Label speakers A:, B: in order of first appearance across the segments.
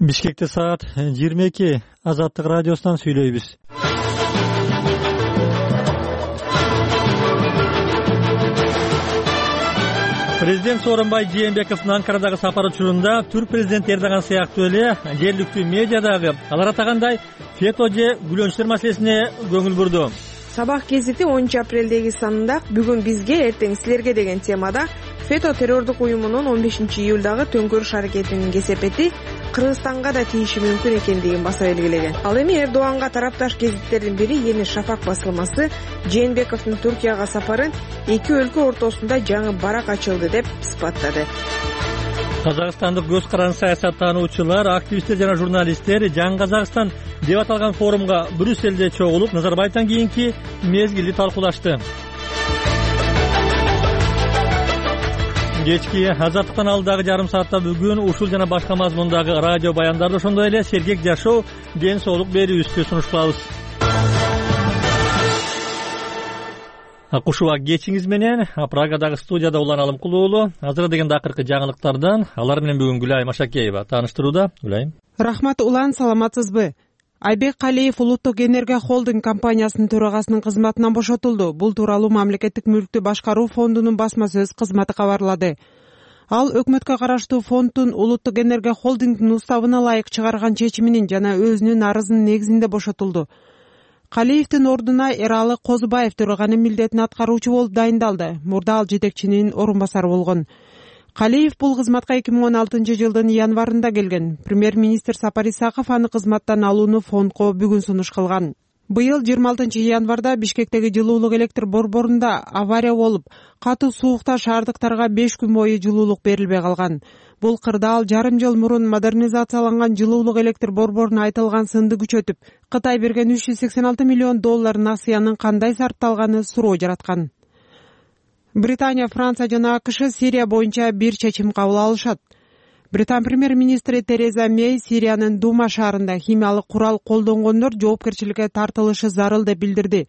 A: Бишкекте саат 22. Азаттык радиосунан сүйлөйбүз. Президент Сооронбай Жээнбековдун Анкарадагы сапары учурунда түрк президенти Эрдоган сыяктуу эле жергиликтүү медиадагы алар атагандай фето же гүлөнчтөр маселесине көңүл бурду.
B: Сабак гезити 10 апрелдеги санында бүгүн бизге, эртең силерге деген темада фето террордук уюмунун 15 июлдагы төңкөрүш аракетинин кесепети Кыргызстанга да тийиши мүмкүн экендигин баса белгилеген. Ал эми Эрдоганга тарапташ гезиттердин бири Yeni Шафак басылмасы Жээнбековдун Түркияга сапарын эки өлкө ортосунда жаңы барак ачылды деп ысбаттады.
A: Казакстандык көз каранды саясаттануучулар, активисттер жана журналисттер Жаңы Казакстан деп аталган форумга Брюссельде чогулуп, Назарбаевден кийинки мезгилди талкуулашты. Кечки Азаттыктан алдагы жарым саатта бүгүн ушул жана башка мазмундагы радио баяндарды, ошондой эле сергек жашоо, ден соолук берүүбүздү сунуш кылабыз. Акушуба кечиңиз менен Прагадагы студияда Улан Алымкулуулу азыр деген акыркы жаңылыктардан алар менен бүгүн Гүлайым Машакеева тааныштырууда. Гүлайым.
C: Рахмат Улан, саламатсызбы? Айбек Калиев Улуттук энергия холдинг компаниясынын төрагасынын кызматынан бошотулду. Бул тууралуу Мамлекеттик мүлктү башкаруу фондунун басма сөз кызматы кабарлады. Ал өкмөткө караштуу фонддун Улуттук энергия холдингдин уставына ылайык чыгарган чечиминин жана өзүнүн арызынын негизинде бошотулду. Калиевдин ордуна Эралы Козубаев төраганын милдетин аткаруучу болуп дайындалды. Мурда ал жетекчинин орун басары болгон. Калиев бул кызматка 2016 жылдын январында келген. Премьер-министр Сапар Исаков аны кызматтан алууну фондко бүгүн сунуш кылган. Быйыл 26 январда Бишкектеги жылуулук электр борборунда авария болуп, катуу суукта шаардыктарга 5 күн бою жылуулук берилбей калган. Бул кырдаал жарым жыл мурун модернизацияланган жылуулук электр борборуна айтылган сынды күчөтүп, Кытай берген $386 миллион насыянын кандай сарпталганы суроо жараткан. Британия, Франция жана АКШ Сирия боюнча бир чечим кабыл алышат. Британ премьер-министри Тереза Мэй Сириянын Дума шаарында химиялык курал колдонгондор жоопкерчиликке тартылышы зарыл деп билдирди.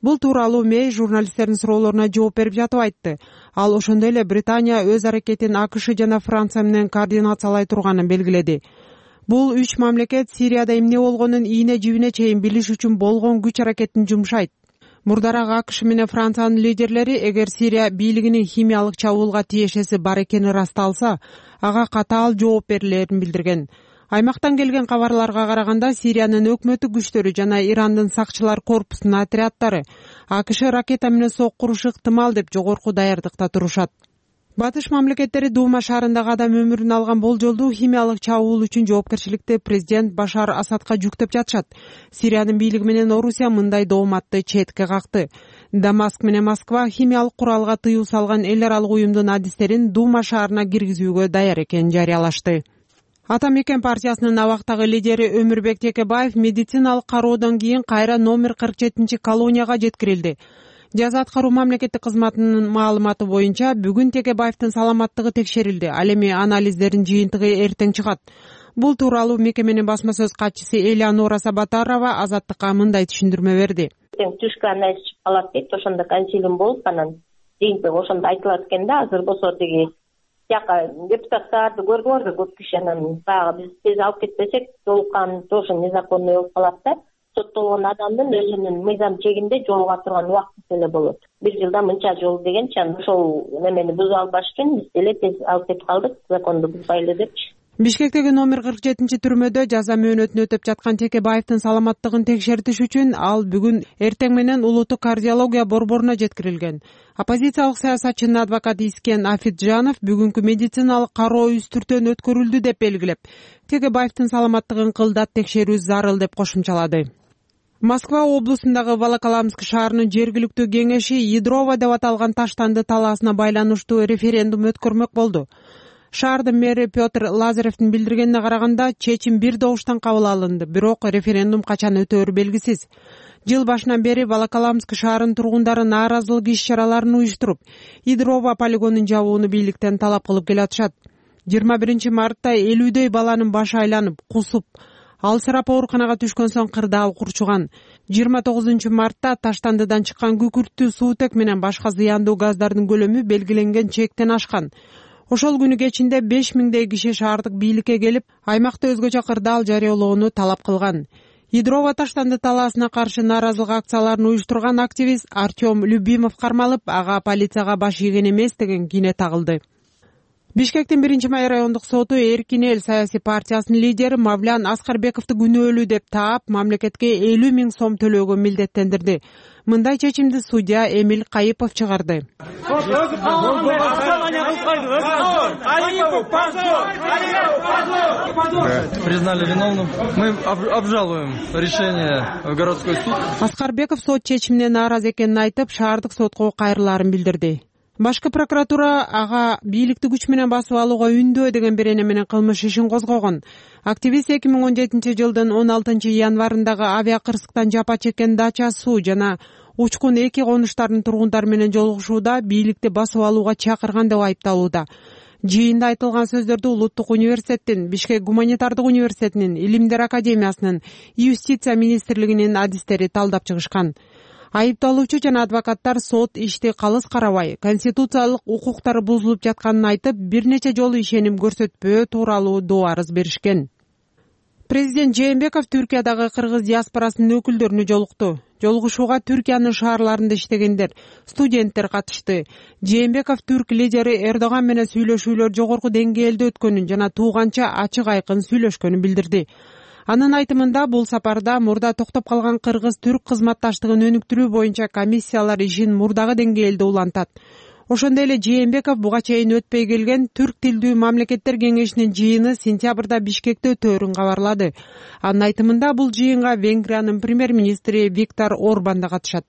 C: Бул тууралуу Мэй журналисттердин суроолоруна жооп берип жатып айтты. Ал ошондой эле Британия өз аракетин АКШ жана Франция менен координациялай турганын белгиледи. Бул үч мамлекет Сирияда эмне болгонун ийне жибине чейин билиш үчүн болгон күч аракетин жумшайт. Мурдараак АКШ менен Франциянын лидерлери эгер Сирия бийлигинин химиялык чабуулга тиешеси бар экени ырасталса, ага катаал жооп берилерин билдирген. Аймактан келген кабарларга караганда Сириянын өкмөттүк күчтөрү жана Ирандын сакчылар корпусунун отряддары АКШ ракета менен соккурушу ыктымал деп жогорку даярдыкта турушат. Батыш мамлекеттери Дума шаарындагы адам өмүрүн алган болжолдуу химиялык чабуул үчүн жоопкерчиликти президент Башар Асадка жүктөп жатышат. Сириянын бийлиги менен Орусия мындай дооматты четке какты. Дамаск менен Москва химиялык куралга тыюу салган эл аралык уюмдун адистерин Дума шаарына киргизүүгө даяр экенин жарыялашты. Ата Мекен партиясынын абактагы лидери Өмүрбек Текебаев медициналык кароодон кийин кайра номер 47 колонияга жеткирилди. Жаза аткаруу мамлекеттик кызматынын маалыматы боюнча бүгүн Текебаевдин саламаттыгы текшерилди. Ал эми анализдердин жыйынтыгы эртең чыгат. Бул тууралуу мекеменин басма сөз катчысы Элеонора Сабатарова Азаттыкка мындай түшүндүрмө берди.
D: Түшкү анализ чыгып калат дейт, ошондо консилиум болуп анан жыйынтыгы ошондо айтылат экен да. Азыр болсо тиги жака депутаттарды көрдүңөрбү, көп киши анан баягы биз тез алып кетпесек, толукан тоже незаконный болуп калат да. Соттолгон адамдын өзүнүн мыйзам чегинде жолуга турган убакыты эле болот. Бир жылда мынча жол дегенчи, ошол немени бузуп албаш үчүн биз деле тез алып кетип калдык, законду бузбайлы депчи.
C: Бишкектеги номер 47 түрмөдө жаза мөөнөтүн өтөп жаткан Текебаевдин саламаттыгын текшертиш үчүн ал бүгүн эртең менен улуттук кардиология борборуна жеткирилген. Оппозициялык саясатчынын адвокаты Искен Афиджанов бүгүнкү медициналык кароо үстүртөн өткөрүлдү деп белгилеп, Текебаевдин саламаттыгын кылдат текшерүү зарыл деп кошумчалады. Москва облусундагы Волоколамск шаарынын жергиликтүү кеңеши Ядрово деп аталган таштанды талаасына байланыштуу референдум өткөрмөк болду. Шаардын мэри Петр Лазаревдин билдиргенине караганда, чечим бир добуштан кабыл алынды, бирок референдум качан өтөөрү белгисиз. Жыл башынан бери Волоколамск шаарынын тургундары нааразылык иш-чараларын уюштуруп, Ядрово полигонун жабууну бийликтен талап кылып келатышат. 21 мартта 50дөй баланын башы айланып, кусуп, алсырап ооруканага түшкөн соң кырдаал курчуган. 29 мартта таштандыдан чыккан күкүрттүү суутек менен башка зыяндуу газдардын көлөмү белгиленген чектен ашкан. Ошол күнү кечинде 5000 киши шаардык бийликке келип, аймакта өзгөчө кырдаал жарыялоону талап кылган. Ядрово таштанды талаасына каршы нааразылык акцияларын уюштурган активист Артем Любимов кармалып, ага полицияга баш ийген эмес деген кийне тагылды. Бишкектин 1-май райондук соту Эркин эл саясий партиясынын лидери Мавлян Аскарбековду күнөөлүү деп таап, мамлекетке 50 000 сом төлөөгө милдеттендирди. Мындай чечимди судья Эмиль Кайыпов чыгарды.
E: Признали виновным. Мы обжалуем решение в городской суд.
C: Аскарбеков сот чечимине нааразы экенин айтып, шаардык сотко кайрылаарын билдирди. Башкы прокуратура ага бийликти күч менен басып алууга үндөө деген берене менен кылмыш ишин козгогон. Активист 2017-жылдын 16-январындагы авиакырсыктан жапа чеккен Дача Суу жана Учкун 2 конуштардын тургундары менен жолугушууда бийликти басып алууга чакырган деп айыпталууда. Жыйында айтылган сөздөрдү Улуттук университеттин, Бишкек гуманитардык университетинин, Илимдер академиясынын, Юстиция министрлигинин адистери талдап чыгышкан. Айыпталуучу жана адвокаттар сот ишти калыс карабай, конституциялык укуктары бузулуп жатканын айтып, бир нече жолу ишеним көрсөтпөө тууралуу доо арыз беришкен. Президент Жээнбеков Түркиядагы кыргыз диаспорасынын өкүлдөрүнө жолукту. Жолугушууга Түркиянын шаарларында иштегендер, студенттер катышты. Жээнбеков түрк лидери Эрдоган менен сүйлөшүүлөр жогорку деңгээлде өткөнүн жана тууганча ачык айкын сүйлөшкөнүн билдирди. Анын айтымында бул сапарда мурда токтоп калган кыргыз-түрк кызматташтыгын өнүктүрүү боюнча комиссиялар ишин мурдагы деңгээлде улантат. Ошондой эле Жээнбеков буга чейин өтпөй келген Түрк тилдүү мамлекеттер кеңешинин жыйыны сентябрда Бишкекте өтөөрүн кабарлады. Анын айтымында бул жыйынга Венгриянын премьер-министри Виктор Орбан да катышат.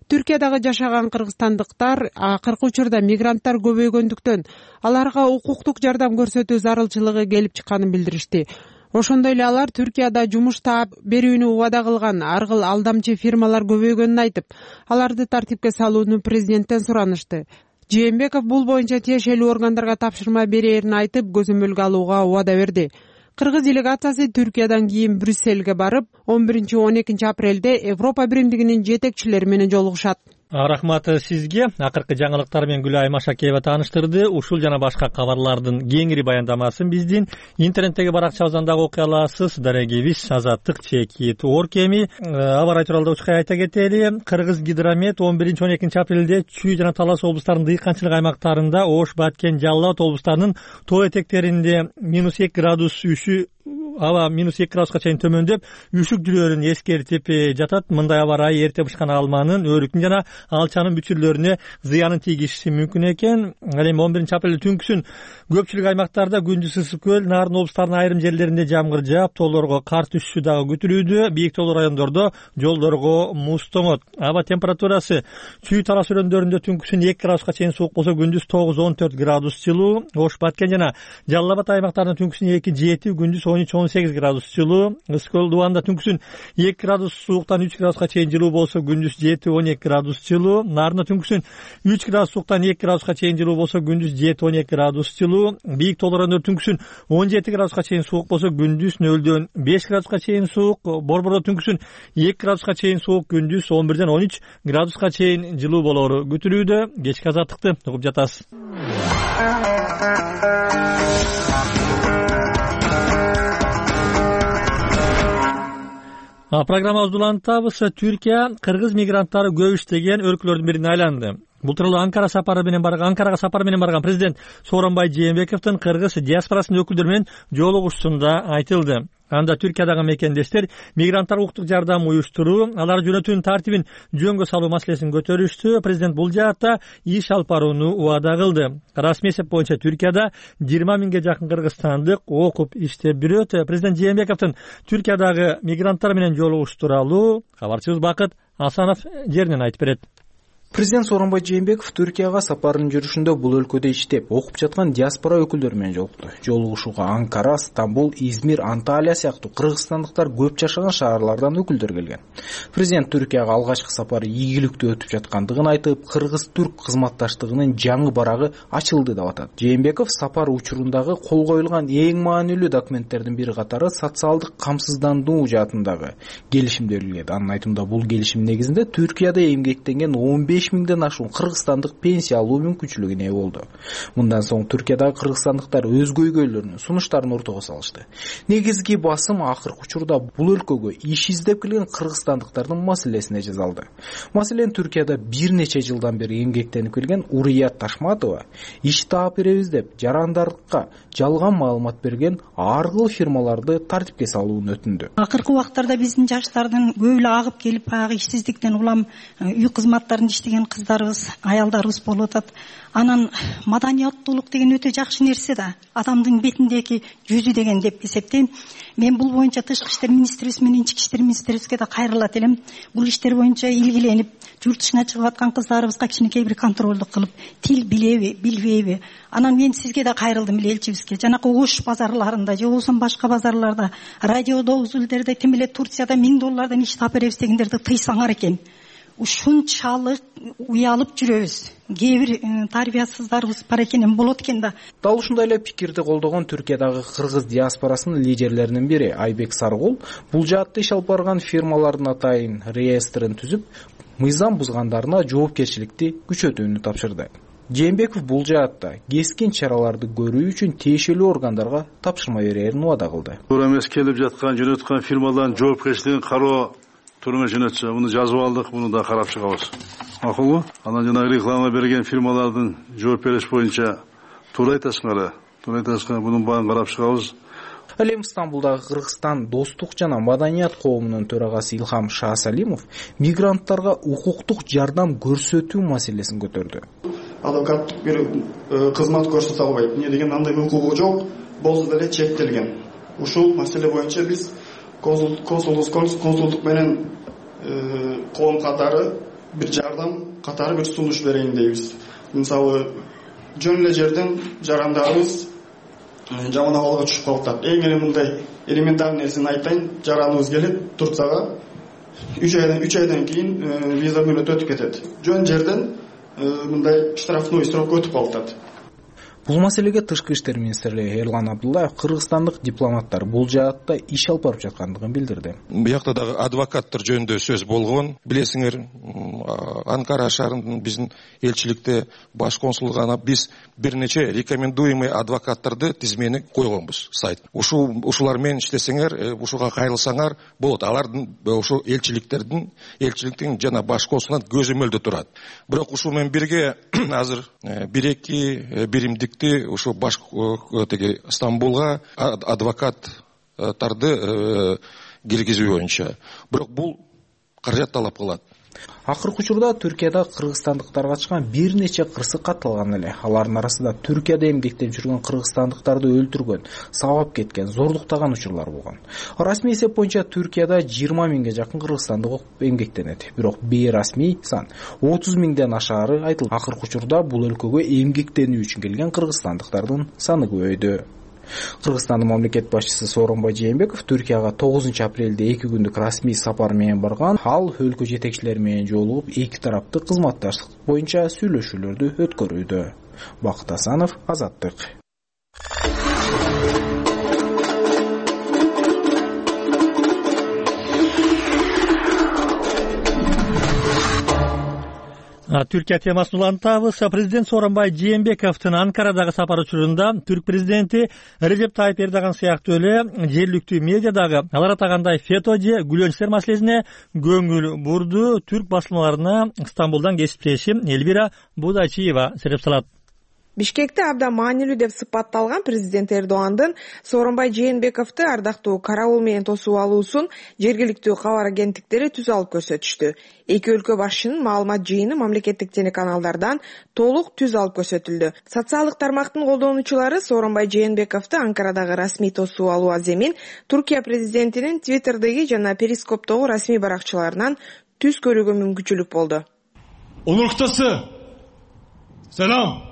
C: Түркиядагы жашаган кыргызстандыктар акыркы учурда мигранттар көбөйгөндүктөн аларга укуктук жардам көрсөтүү зарылчылыгы келип чыкканын билдиришти. Ошондой эле алар Түркияда жумуш таап берүүнү убада кылган аргыл алдамчы фирмалар көбөйгөнүн айтып, аларды тартипке салууну президенттен суранышты. Жээнбеков бул боюнча тиешелүү органдарга тапшырма берээрин айтып, көзөмөлгө алууга убада берди. Кыргыз делегациясы Түркиядан кийин Брюссельге барып, 11-12 апрелде Европа биримдигинин жетекчилери менен жолугушат.
A: Рахмат сизге. Акыркы жаңылыктар менен Гүлай Машакеева тааныштырды. Ушул жана башка кабарлардын кеңири баяндамасын биздин интернеттеги баракчабыздан дагы окуй аласыз. Дарегибиз Азаттык чекит оркеми. Аба рай тууралуу учкай айта кетели. Кыргыз гидромет 11-12 апрелде Чүй жана Талас облустарынын дыйканчылык аймактарында, Ош, Баткен, Жалал Абад облустарынын тоо этектеринде -2 градус үшү аба -2 градуска чейин төмөндөп, үшүк жүрөөрүн эскертип жатат. Мындай аба ырайы эрте бышкан алманын, өрүктүн жана алчанын бүтүрлөрүнө зыянын тийгизиши мүмкүн экен. Ал эми 11 апрелде түнкүсүн көпчүлүк аймактарда, күндүз ысык көл, Нарын облустарынын айрым жерлеринде жамгыр жаап, тоолорго кар түшүшү дагы күтүлүүдө. Бийик тоолуу райондордо жолдорго муз тоңот. Аба температурасы Чүй Талас өрөөндөрүндө түнкүсүн 2 градуска чейин суук болсо, күндүз 9-14 градус жылуу. Ош, Баткен жана Жалал Абад аймактарында түнкүсүн 2-7, күндүз 13-18 градус жылуу. Ысык Дубанда түнкүсүн 2 градус сууктан 3 градуска чейин жылуу болсо, күндүз 7-12 градус жылуу. Нарында түнкүсүн 3 градус сууктан 2 градуска чейин жылуу болсо, күндүз 7-12 градус жылуу. Бийик тоолуу райондор түнкүсүн 17 градуска чейин суук болсо, күндүз 0-дөн 5 градуска чейин суук. Борбордо түнкүсүн 2 градуска чейин суук, күндүз 11-ден 13 градуска чейин жылуу болоору күтүлүүдө. Кечки азаттыкты угуп жатасыз. Программабызды улантабыз. Түркия кыргыз мигранттары көп иштеген өлкөлөрдүн бирине айланды. Бул тууралуу Анкарага сапары менен барган президент Сооронбай Жээнбековдун кыргыз диаспорасынын өкүлдөрү менен жолугушуусунда айтылды. Анда Түркиядагы мекендештер мигранттар укуктук жардам уюштуруу, алар жөнөтүүнүн тартибин жөнгө салуу маселесин көтөрүштү. Президент бул жаатта иш алып барууну убада кылды. Расмий эсеп боюнча Түркияда 20 000 жакын кыргызстандык окуп иштеп жүрөт. Президент Жээнбековдун Түркиядагы мигранттар менен жолугушуу тууралуу кабарчыбыз Бакыт Асанов жеринен айтып берет.
F: Президент Сооронбай Жээнбеков Түркияга сапарынын жүрүшүндө бул өлкөдө иштеп, окуп жаткан диаспора өкүлдөрү менен жолукту. Жолугушууга Анкара, Стамбул, Измир, Анталия сыяктуу кыргызстандыктар көп жашаган шаарлардан өкүлдөр келген. Президент Түркияга алгачкы сапары ийгиликтүү өтүп жаткандыгын айтып, кыргыз-түрк кызматташтыгынын жаңы барагы ачылды деп атат. Жээнбеков сапар учурундагы кол коюлган эң маанилүү документтердин бири катары социалдык камсыздандыруу жаатындагы келишимди белгиледи. Анын айтымында бул келишим негизинде Түркияда эмгектенген 15 5000ден ашуун кыргызстандык пенсия алуу мүмкүнчүлүгүнө ээ болду. Мындан соң Түркиядагы кыргызстандыктар өз көйгөйлөрүнүн, сунуштарын ортого салышты. Негизги басым акыркы учурда бул өлкөгө иш издеп келген кыргызстандыктардын маселесине жасалды. Маселен, Түркияда бир нече жылдан бери эмгектенип келген Урият Ташматова иш таап беребиз деп жарандардыкка жалган маалымат берген аргыл фирмаларды тартипке салууну өтүндү.
G: Акыркы убактарда биздин жаштардын көбү эле агып келип, баягы ишсиздиктен улам үй кызматтарында иштеген кыздарыбыз, аялдарыбыз болуп атат. Анан маданияттуулук деген өтө жакшы нерсе да, адамдын бетиндеги жүзү деген деп эсептейм. Мен бул боюнча Тышкы иштер министрибиз менен Ички иштер министрибизге да кайрылат элем. Бул иштер боюнча илгиленип, журт дышына чыгып аткан кыздарыбызга кичинекей бир контролдук кылып, тил билеби, билбейби? Анан мен сизге да кайрылдым эле, элчибизге. Жанакы Ош базарларында же болбосо башка базарларда, радиодо, үзүлдөрдө, тим эле Турцияда $1000 иш таап беребиз дегендерди тыйсаңар экен. Ушунчалык уялып жүрөбүз. Кээ бир тарбиясыздарыбыз бар экен, болот экен да.
F: Дал ушундай эле пикирди колдогон Түркиядагы кыргыз диаспорасынын лидерлеринин бири Айбек Саргул бул жаатта иш алып барган фирмалардын атайын реестрин түзүп, мыйзам бузгандарына жоопкерчиликти күчөтүүнү тапшырды. Жээнбеков бул жаатта кескин чараларды көрүү үчүн тиешелүү органдарга тапшырма берерин убада кылды.
H: Туура эмес келип жаткан, жөнөткөн фирмалардын жоопкерчилигин кароо турма жөнөтчү. Муну жазып алдык, муну да карап чыгабыз. Макулбу? Анан жанагы реклама берген фирмалардын жооп бериш боюнча туура айтасыңар, мунун баарын карап чыгабыз.
F: Ал эми Стамбулдагы Кыргызстан достук жана маданият коомунун төрагасы Илхам Шаасалимов мигранттарга укуктук жардам көрсөтүү маселесин көтөрдү.
I: Адвокаттык бир кызмат көрсөтө албайт. Эмне деген андай укугу жок, болсо деле чектелген. Ушул маселе боюнча биз консулдук менен коом катары бир жардам катары бир сунуш берейин дейбиз. Мисалы, жөн эле жерден жарандарыбыз жаман абалга түшүп калат. Эң эле мындай элементарный нерсени айтайын, жараныбыз келип Турцияга 3 айдан кийин виза мөөнөтү өтүп кетет. Жөн жерден мындай штрафной срок өтүп калат.
F: Бул маселеге Тышкы иштер министри Эрлан Абдуллаев кыргызстандык дипломаттар бул жаатта иш алып барып жаткандыгын билдирди.
J: Буякта дагы адвокаттар жөнүндө сөз болгон. Билесиңер, Анкара шаарынын биздин элчиликте баш консулдугана биз бир нече рекомендуемый адвокаттарды тизмени койгонбуз сайт. Ушулар менен иштесеңер, ушуга кайрылсаңар болот. Алардын ушу элчиликтин жана баш консулунан көзөмөлдө турат. Бирок ушул менен бирге азыр 1-2 биримдик ушу баш Стамбулга адвокаттарды киргизүү боюнча. Бирок бул каражат талап кылат.
F: Акыркы учурда Түркияда кыргызстандыктарга чыккан бир нече кырсык катталган эле. Алардын арасында Түркияда эмгектеп жүргөн кыргызстандыктарды өлтүргөн, сабап кеткен, зорлуктаган учурлар болгон. Расмий эсеп боюнча Түркияда 20 000ге жакын кыргызстандык эмгектенет. Бирок бейрасмий сан 30 000ден ашаары айтылды. Акыркы учурда бул өлкөгө эмгектенүү үчүн келген кыргызстандыктардын саны көбөйдү. Кыргызстандын мамлекет башчысы Сооронбай Жээнбеков Түркияга 9 апрелде 2 күндүк расмий сапар менен барган. Ал өлкө жетекчилери менен жолугуп, эки тараптык кызматташтык боюнча сүйлөшүүлөрдү өткөрүүдө. Бакыт Асанов, Азаттык.
A: Түркия темасын улантабыз. Президент Сооронбай Жээнбековдун Анкарадагы сапар учурунда түрк президенти Режеп Тайып Эрдоган сыяктуу эле жергиликтүү медиадагы алар атагандай фето же гүлөнчтөр маселесине көңүл бурду. Түрк басылмаларына Стамбулдан кесиптешим Эльвира Будачиева сереп салат.
B: Бишкекте абдан маанилүү деп сыпатталган президент Эрдогандын Сооронбай Жээнбековду ардактуу карабул менен тосуп алуусун жергиликтүү кабар агенттиктери түз алып көрсөтүштү. Эки өлкө башчынын маалымат жыйыны мамлекеттик телеканалдардан толук түз алып көрсөтүлдү. Социалдык тармактын колдонуучулары Сооронбай Жээнбековду Анкарадагы расмий тосуп алуу аземин Туркия президентинин Твиттердеги жана Перископтогу расмий баракчаларынан түз көрүүгө мүмкүнчүлүк болду.
K: Улуктасы, салам.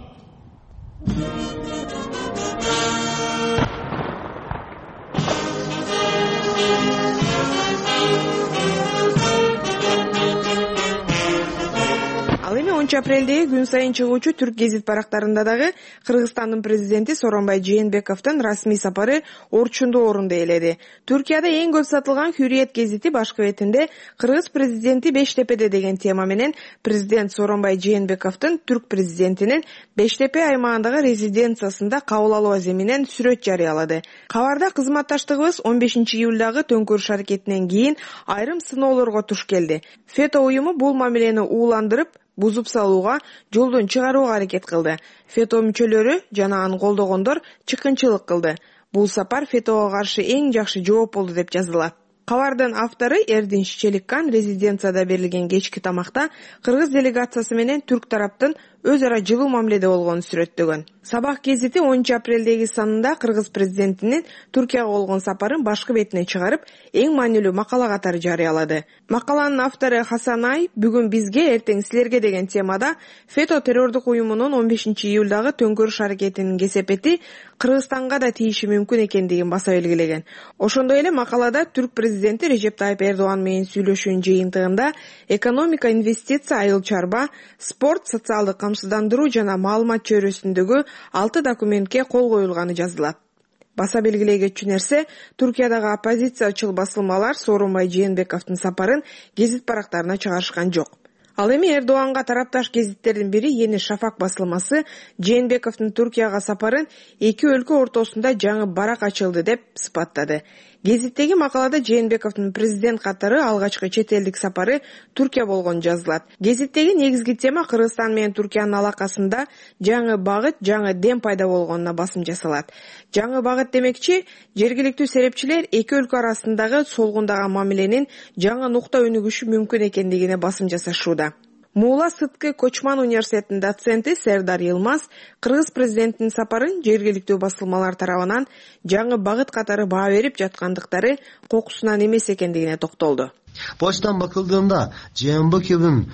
B: Ал эми 10 апрелдеги күн сайын чыгуучу түрк гезит барактарында дагы Кыргызстандын президенти Сооронбай Жээнбековдун расмий сапары орчундуу орунду ээледи. Түркияда эң көп сатылган Hürriyet гезити башкы бетинде Кыргыз президенти Бештепеде деген тема менен президент Сооронбай Жээнбековдун түрк президентинин Бештепе аймагындагы резиденциясында кабыл алуу аземинен сүрөт жарыялады. Кабарда кызматташтыгыбыз 15 июлдагы төңкөрүш аракетинен кийин айрым сыноолорго туш келди. ФЭТО уюму бул мамилени ууландырып, бузуп салууга, жолдон чыгарууга аракет кылды. ФЭТО мүчөлөрү жана аны колдогондор чыккынчылык кылды. Бул сапар ФЭТОго каршы эң жакшы жооп болду деп жазылат. Кабардын автору Эрдинч Челиккан резиденцияда берилген кечки тамакта кыргыз делегациясы менен түрк тараптын өз ара жылуу мамиледе болгонун сүрөттөгөн. Сабак гезити 10 апрелдеги санында Кыргыз президентинин Түркияга болгон сапарын башкы бетине чыгарып, эң маанилүү макала катары жарыялады. Макаланын автору Хасан Ай бүгүн бизге, эртең силерге деген темада ФЭТО террордук уюмунун 15 июлдагы төңкөрүш аракетинин кесепети Кыргызстанга да тийиши мүмкүн экендигин баса белгилеген. Ошондой эле макалада түрк президенти Режеп Тайып Эрдоган менен сүйлөшүүнүн жыйынтыгында экономика, инвестиция, айыл чарба, спорт, социалдык камсыздандыруу жана маалымат чөйрөсүндөгү 6 документке кол коюлганы жазылат. Баса белгилей кетчү нерсе, Түркиядагы оппозициячыл басылмалар Сооронбай Жээнбековдун сапарын гезит барактарына чыгарышкан жок. Ал эми Эрдоганга тарапташ гезиттердин бири Yeni Шафак басылмасы Жээнбековдун Түркияга сапарын эки өлкө ортосунда жаңы барак ачылды деп сыпаттады. Гезиттеги макалада Жээнбековдун президент катары алгачкы чет элдик сапары Түркия болгон жазылат. Гезиттеги негизги тема Кыргызстан менен Түркиянын алакасында жаңы багыт, жаңы дем пайда болгонуна басым жасалат. Жаңы багыт демекчи, жергиликтүү серепчилер эки өлкө арасындагы солгундаган мамиленин жаңы нукта өнүгүшү мүмкүн экендигине басым жасашууда. Муула Сыткы Кочман университетинин доценти Сердар Йылмаз Кыргыз президентинин сапарын жергиликтүү басылмалар тарабынан жаңы багыт катары баа берип жаткандыктары кокусунан эмес экендигине токтолду.
L: Почтан бакылдığımda Жээнбековдун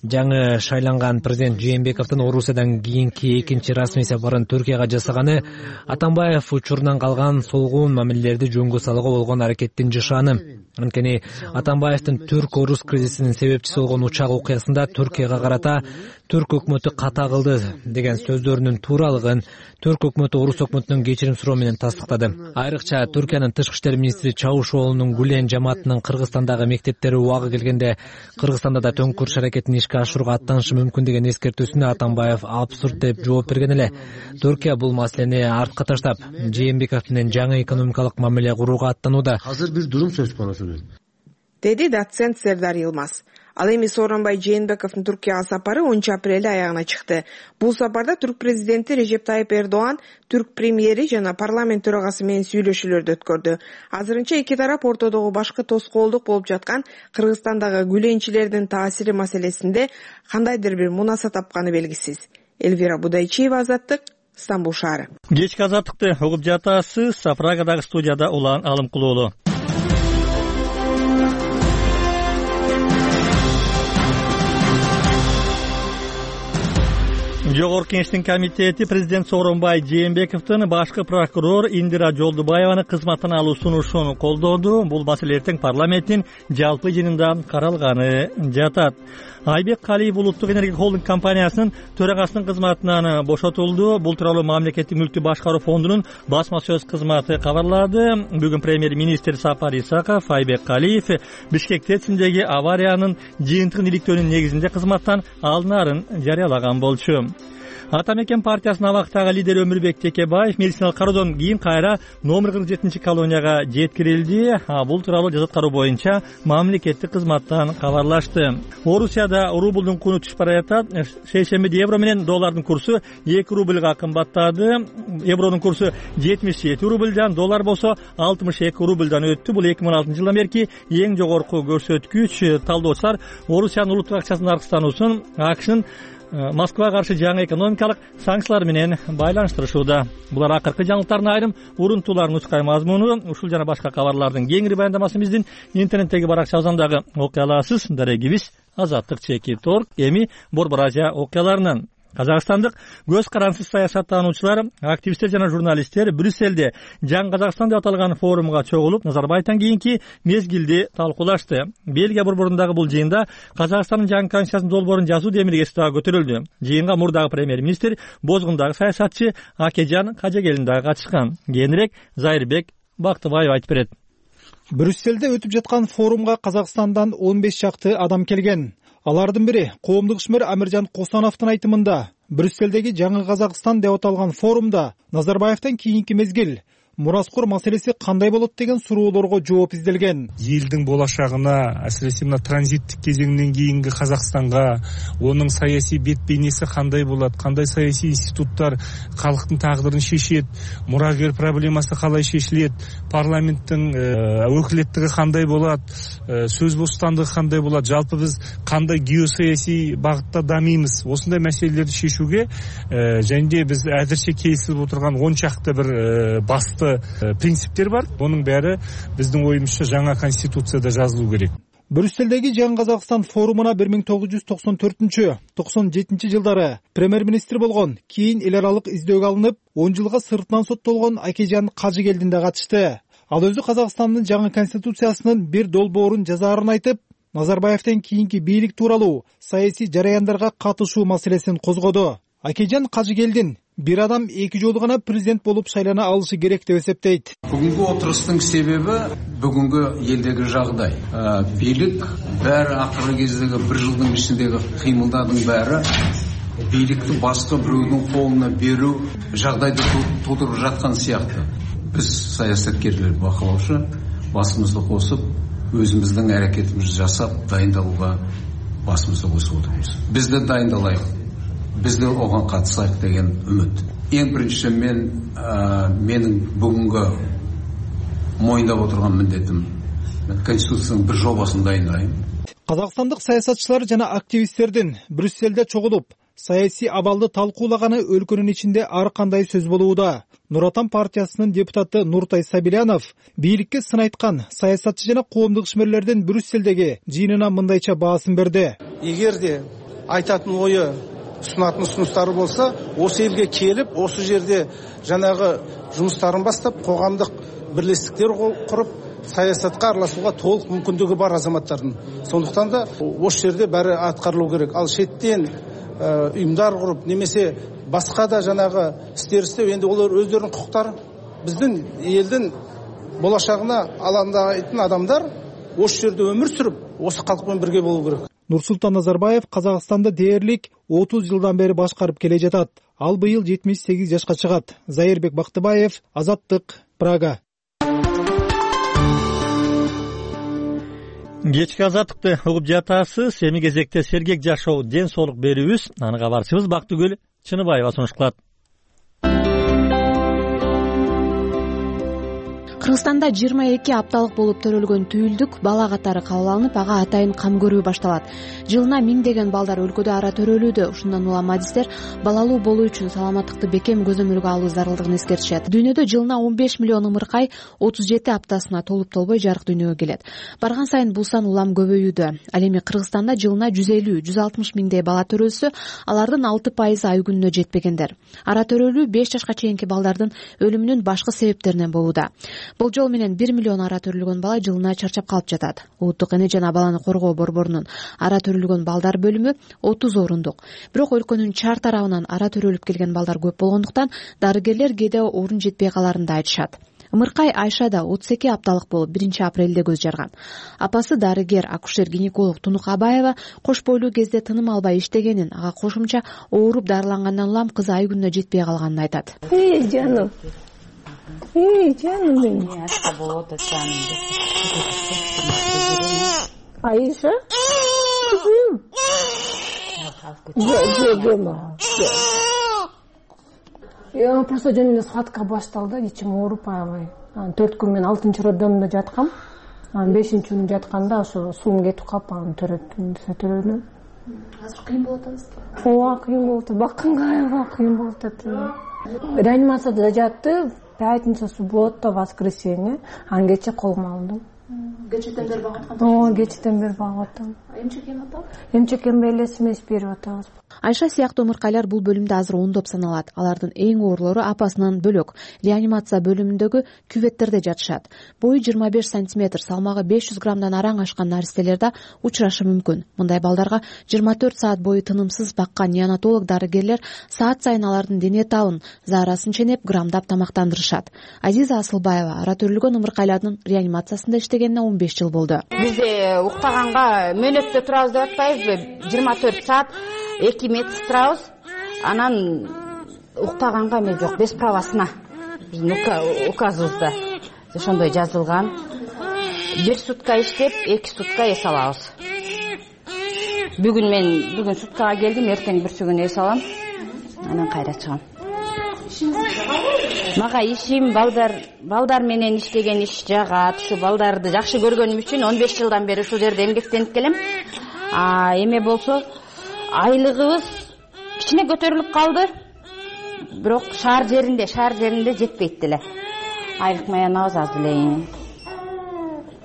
M: жаңы шайланган президент Жээнбековдун Орусиядан кийинки экинчи расмий сапарын Түркияга жасаганы Атамбаев учурунан калган солгуун мамилелерди жөнгө салууга болгон аракеттин жышааны. Анткени Атамбаевдин түрк-орус кризисинин себепчиси болгон учак окуясында Түркияга карата түрк өкмөтү ката кылды деген сөздөрүнүн тууралыгын түрк өкмөтү орус өкмөтүнөн кечирим суроо менен тастыктады. Айрыкча Түркиянын тышкы иштер министри Чавушоğlu'нун Гүлен жамаатынын Кыргызстандагы мектептери убагы келгенде Кыргызстанда да төңкөрүш аракетин ишке ашырууга аттанышы мүмкүн деген эскертүүсүнө Атамбаев абсурд деп жооп берген эле. Түркия бул маселени артка таштап, Жээнбеков менен жаңы экономикалык мамиле курууга аттанууда.
L: Азыр бир дурум сөз конусу
B: деди доцент Сердар Йылмаз. Ал эми Сооронбай Жээнбековдун Түркияга сапары 10 апрелде аягына чыкты. Бул сапарда түрк президенти Режеп Тайып Эрдоган, түрк премьери жана парламент төрагасы менен сүйлөшүүлөрдү өткөрдү. Азырынча эки тарап ортодогу башкы тоскоолдук болуп жаткан Кыргызстандагы гүленчилердин таасири маселесинде кандайдыр бир мунаса тапканы белгисиз. Элвира Будайчиева, Азаттык, Стамбул шаары.
A: Кечки Азаттыкты угуп жатасыз. Прагадагы студияда Улан Алымкулуулу. Жогорку Кеңештин комитети президент Сооронбай Жээнбековдун башкы прокурор Индира Жолдубаеваны кызматтан алуу сунушун колдоду. Бул маселе эртең парламенттин жалпы жыйынында каралганы жатат. Айбек Калиев улуттук энергия холдинг компаниясынын төрагасынын кызматынан бошотулду. Бул тууралуу мамлекеттик мүлктү башкаруу фондунун басма сөз кызматы кабарлады. Бүгүн премьер-министр Сапар Исаков Айбек Калиев Бишкек ТЭЦиндеги авариянын жыйынтыгын иликтөөнүн негизинде кызматтан алынаарын жарыялаган болчу. Ата мекен партиясынын абактагы лидери Өмүрбек Текебаев медициналык кароодон кийин кайра номер 47 колонияга жеткирилди. Бул тууралуу жаза аткаруу боюнча мамлекеттик кызматтан кабарлашты. Орусияда рублдун куну түшүп бара жатат. Шейшембиде евро менен доллардын курсу 2 рублга кымбаттады. Евронун курсу 77 рублдан, доллар болсо 62 рублдан өттү. Бул 2016 жылдан берки эң жогорку көрсөткүч. Талдоочулар Орусиянын улуттук акчасынын аркыстануусун АКШнын Москвага каршы жаңы экономикалык санкциялар менен байланыштырышууда. Булар акыркы жаңылыктардын айрым урунтууларын нускай мазмуну. Ушул жана башка кабарлардын кеңири баяндамасын биздин интернеттеги баракчабыздан дагы окуй аласыз. Дарегибиз Азаттык /Торг. Эми Борбор Азия окуяларынан. Казакстандык көз карансыз саясаттануучулар, активисттер жана журналисттер Брюссельде Жаңы Казакстан деп аталган форумга чогулуп, Назарбаевтан кийинки мезгилди талкуулашты. Бельгия борборундагы бул жыйында Казакстандын жаңы конституциясынын долбоорун жазуу демилгеси дагы көтөрүлдү. Жыйынга мурдагы премьер-министр, Бозгундагы саясатчы Акежан Кажегелдин дагы катышкан. Кийинирээк Зайырбек Бактыбаев айтып берет.
F: Брюссельде өтүп жаткан форумга Казакстандан 15 чакты адам келген. Алардын бири коомдук ишмер Амиржан Косановдун айтымында, Брюссельдеги Жаңы Казакстан деп аталган форумда Назарбаевтан кийинки мезгил мураскор маселеси кандай болот деген суроолорго жооп изделген.
N: Элдин болашагына, асиресе мына транзиттик кезеңден кийинки Казакстанга, онун саясий бет бейнеси кандай болот, кандай саясий институттар калктын тагдырын шешет, мурагер проблемасы калай шешилет, парламенттин өкүлеттиги кандай болот, сөз бостандыгы кандай болот, жалпы биз кандай геосаясий багытта дамыймыз. Осундай маселелерди шешүүгө және биз азырча келишип отурган 10 чакты бир басты принциптер бар. Onun бәрі біздің ойымызша жаңа конституцияда жазылу керек.
F: Брюссельдеги Жаңы Казакстан форумуна 1994-97 жылдары премьер-министр болгон, кийин эл аралык издөөгө алынып, 10 жылга сыртынан соттолгон Акежан Кажегелдин да катышты. Ал өзү Казакстандын жаңы конституциясынын бир долбоорун жазаарын айтып, Назарбаевтен кийинки бийлик тууралуу саясий жараяндарга катышуу маселесин козгоду. Акежан Кажегелдин бир адам эки жолу гана президент болуп шайлана алышы керек деп эсептейт.
O: Бүгүнкү отурустун себеби бүгүнкү элдеги жагдай. Бийлик баары акыркы кездеги бир жылдын ичиндеги кыймылдардын баары бийликти башка бирөөнүн колуна берүү жагдайды туудуруп жаткан сыяктуу. Биз саясаткерлер бакылаучу басымызды косуп, өзүбүздүн аракетибизди жасап, дайындалууга басымызды косуп отурбуз. Биз да дайындалайык. Biz de oğan katısayık деген ümit. En birinci menin бүгүнгө мойындап отырган міндетім Конституцияның bir жобасын дайындайым.
F: Казакстандык саясатчылар жана активисттердин Брюссельде чогулуп, саясий абалды талкуулаганы өлкөнүн ичинде ар кандай сөз болууда. Нур Отан партиясынын депутаты Нуртай Сабилянов бийликке сын айткан саясатчы жана коомдук ишмерлердин Брюссельдеги жыйынына мындайча баасын берди.
P: Эгерде айтатын ою sunатын ұсыныстары болса, осы елге келіп, осы жерде жаңағы жұмыстарын бастап, қоғамдық бірлестіктер құрып, саясатқа араласуға толық мүмкіндігі бар азаматтардың. Сондықтан да осы жерде бәрі атқарылу керек. Ал шеттен ұйымдар құрып, немесе басқа да жаңағы істер істеу, енді олар өздерінің құқықтары, біздің елдің болашағына алаңдайтын адамдар осы жерде өмір сүріп, осы халықпен бірге болу керек.
F: Нурсултан Назарбаев Казакстанды дээрлик 30 жылдан бери башкарып келе жатат. Ал быйыл 78 жашка чыгат. Зайырбек Бактыбаев, Азаттык, Прага.
A: Кечки азаттыкты угуп жатасыз. Эми кезекте сергек жашоо, ден соолук берүүбүз. Аны кабарчыбыз Бактыгүл Чыныбаева сунуш кылат.
Q: Кыргызстанда 22 апталык болуп төрөлгөн түйүлдүк бала катары кабыл алынып, ага атайын кам көрүү башталат. Жылына миңдеген балдар өлкөдө ара төрөлүүдө. Ушундан улам адистер балалуу болуу үчүн саламаттыкты бекем көзөмөлгө алуу зарылдыгын эскертишет. Дүйнөдө жылына 15 миллион ымыркай 37 аптасына толуп толбой жарык дүйнөгө келет. Барган сайын бул сан улам көбөйүүдө. Ал эми Кыргызстанда жылына 150-160 миңдей бала төрөлсө, алардын 6% ай күнүнө жетпегендер. Ара төрөлүү 5 жашка чейинки балдардын өлүмүнүн башкы себептеринен болууда. Бул жол менен 1 миллион ара төрөлгөн бала жылына чарчап калып жатат. Улуттук эне жана баланы коргоо борборунун ара төрөлгөн балдар бөлүмү 30 орундук. Бирок өлкөнүн чар тарабынан ара төрөлүп келген балдар көп болгондуктан дарыгерлер кээде орун жетпей каларын да айтышат. Ымыркай Айша да 32 апталык болуп 1 апрелде көз жарган. Апасы дарыгер акушер-гинеколог Тунук Абаева кош бойлуу кезде тыным албай иштегенин, ага кошумча ооруп дарылангандан улам кызы ай күнүнө жетпей калганын айтат.
R: Жаным. Canım benim. Ayşe? Kızım. Ya просто жөнүндө схватка башталды, ичим ооруп аябай. 4 күн мен 6-роддомдо жаткам. 5-күн жатканда ошо суум кетип калып, аны төрөдүм.
Q: Азыр кыйын болот атабызбы?
R: Ооба, кыйын болот. Бакканга аябай кыйын болот атат. Реанимацияда жатты. Пятница, суббота, воскресенье. Ангече колума алдым.
Q: Кечээден бери багып аткан?
R: Кечээден бери багып атам.
Q: Эмчек эми атабы?
R: Эмчек эми элес эмес берип атабыз.
Q: Айша сыяктуу ымыркайлар бул бөлүмдө азыр ондоп саналат. Алардын эң оорлору апасынан бөлөк реанимация бөлүмүндөгү küvetтерде жатышат. Бою 25 сантиметр, салмагы 500 граммдан араң ашкан наристелер да учурашы мүмкүн. Мындай балдарга 24 саат бою тынымсыз баккан неонатолог дарыгерлер саат сайын алардын дене табын, заарасын ченеп, грамдап тамактандырышат. Азиза Асылбаева ара төрүлгөн ымыркайлардын реанимациясында иштегенине 15 жыл болду.
S: Бизде уктаганга мөөнөттө турабыз деп атпайбызбы? 24 саат 2 месяц турабыз. Анан уктаганга эме жок, без правосына. Биздин указыбызда ошондой жазылган. 1 сутка иштеп, 2 сутка эс алабыз. Бүгүн суткага келдим, эртең бүрсүгүн эс алам. Анан кайра чыгам. Мага ишим балдар менен иштеген иш жагат. Ушу балдарды жакшы көргөнүм үчүн 15 жылдан бери ушул жерде эмгектенип келем. Эме болсо айлыгыбыз кичине көтөрүлүп калды. Бирок шаар жеринде жетпейт деле. Айлык маянабыз аз эле.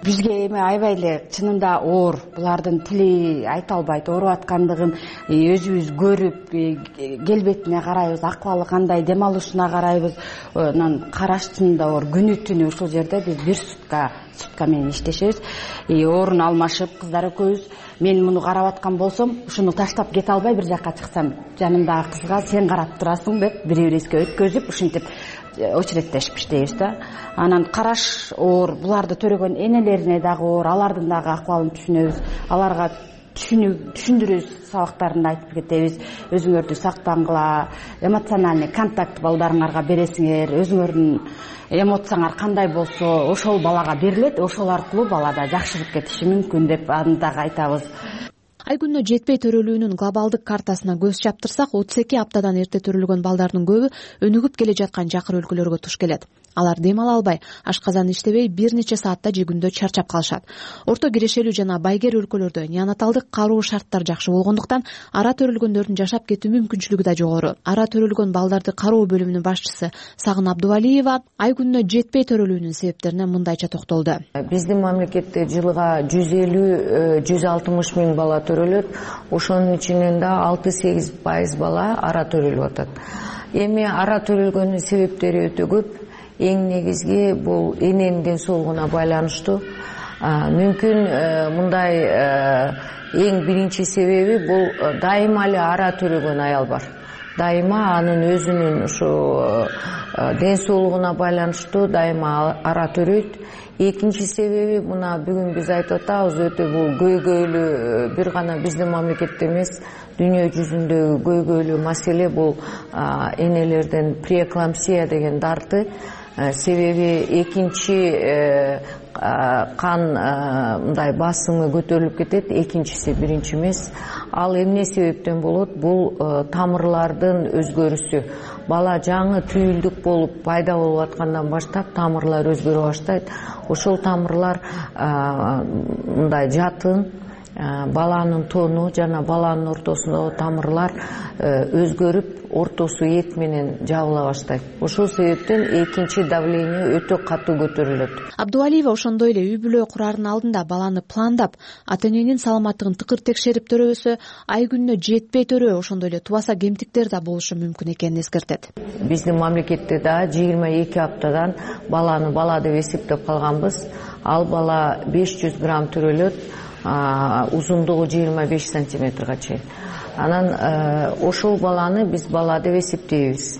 S: Бизге эме аябай эле чынында оор. Булардын тили айта албайт, ооруп аткандыгын өзүбүз көрүп, келбетине карайбыз, акыбалы кандай, дем алышына карайбыз. Анан караш чынында оор. Күнү түнү ушул жерде биз 1 сутка менен иштешебиз. Орун алмашып, кыздар экөөбүз. Мен муну карап аткан болсом, ушуну таштап кете албай бир жакка чыксам, жанымдагы кызга сен карап турасың деп бири-бирибизге өткөзүп, ушинтип очереттешип иштейбиз да. Анан караш оор, буларды төрөгөн энелерине дагы оор, алардын дагы акыбалын түшүнөбүз. Аларга түшүндүрүбүз, сабактарында айтып кетебиз. Өзүңөрдү сактангыла, эмоциональный контакт балдарыңарга бересиңер, өзүңөрдүн эмоцияңар кандай болсо, ошол балага берилет, ошол аркылуу балада жакшырып кетиши мүмкүн деп аны дагы айтабыз.
Q: Айгүнөө жетпей төрөлүүнүн глобалдык картасына көз чаптырсак, 32 аптадан эрте төрөлгөн балдардын көбү өнүгүп келе жаткан жакыр өлкөлөргө туш келет. Алар дем ала албай, ашказан иштебей бир нече саатта же күндө чарчап калышат. Орто кирешелүү жана байгер өлкөлөрдө неонаталдык кароо шарттар жакшы болгондуктан ара төрөлгөндөрдүн жашап кетүү мүмкүнчүлүгү да жогору. Ара төрөлгөн балдарды кароо бөлүмүнүн башчысы Сагын Абдувалиева айгүнөө жетпей төрөлүүнүн себептерине мындайча токтолду.
T: Биздин мамлекетте жылга 150-160 миң бала төрөлөт. Ошонун ичинен да 6-8% бала ара төрөлүп атат. Эми ара төрөлгөнүн себептери өтө көп. Эң негизги бул эненин ден соолугуна байланыштуу. Мүмкүн мындай эң биринчи себеби бул дайыма эле ара төрөгөн аял бар. Дайыма анын өзүнүн ушу ден соолугуна байланыштуу дайыма ара төрөйт. Экинчи себеби мына бүгүн биз айтып атабыз, өтө бул көйгөйлүү бир гана биздин мамлекетте эмес, дүйнө жүзүндөгү көйгөйлүү маселе бул энелерден преэклампсия деген дарты. Себеби экинчи кан мындай басымы көтөрүлүп кетет, экинчиси биринчи эмес. Ал эмне себептен болот? Бул тамырлардын өзгөрүшү. Бала жаңы түйүлдүк болуп пайда болуп аткандан баштап тамырлар өзгөрө баштайт. Ошол тамырлар мындай жатын, баланын тону жана баланын ортосундагы тамырлар өзгөрүп, ортосу эт менен жабыла баштайт. Ошол себептен экинчи давление өтө катуу көтөрүлөт.
Q: Абдувалиева ошондой эле үй бүлө курардын алдында баланы пландап, ата-эненин саламаттыгын тыкыр текшерип төрөбөсө, ай күнүнө жетпей төрөө, ошондой эле тубаса кемтиктер да болушу мүмкүн экенин эскертет.
T: Биздин мамлекетте да 22 аптадан баланы бала деп эсептеп калганбыз. Ал бала 500 грамм төрөлөт, узундугу 25 сантиметрге чейин. Анан ошол баланы биз бала деп эсептейбиз.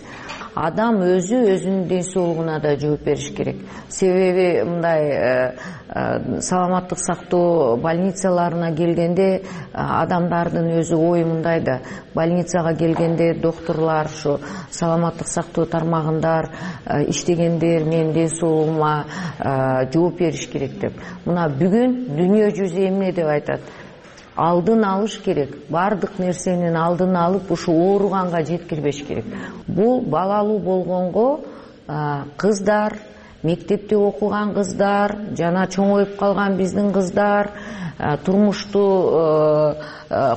T: Адам өзүнүн ден соолугуна да жооп бериш керек. Себеби мындай саламаттык сактоо больницаларына келгенде адамдардын өзү ою мындай да, больницага келгенде докторлор, ушу саламаттык сактоо тармагындар иштегендер менин ден соолугума жооп бериш керек деп. Мына бүгүн дүйнө жүзү эмне деп айтат? Алдын алыш керек. Бардык нерсенин алдын алып, ушу ооруганга жеткирбеш керек. Бул балалуу болгонго кыздар, мектепте окуган кыздар, жана чоңоюп калган биздин кыздар, турмушту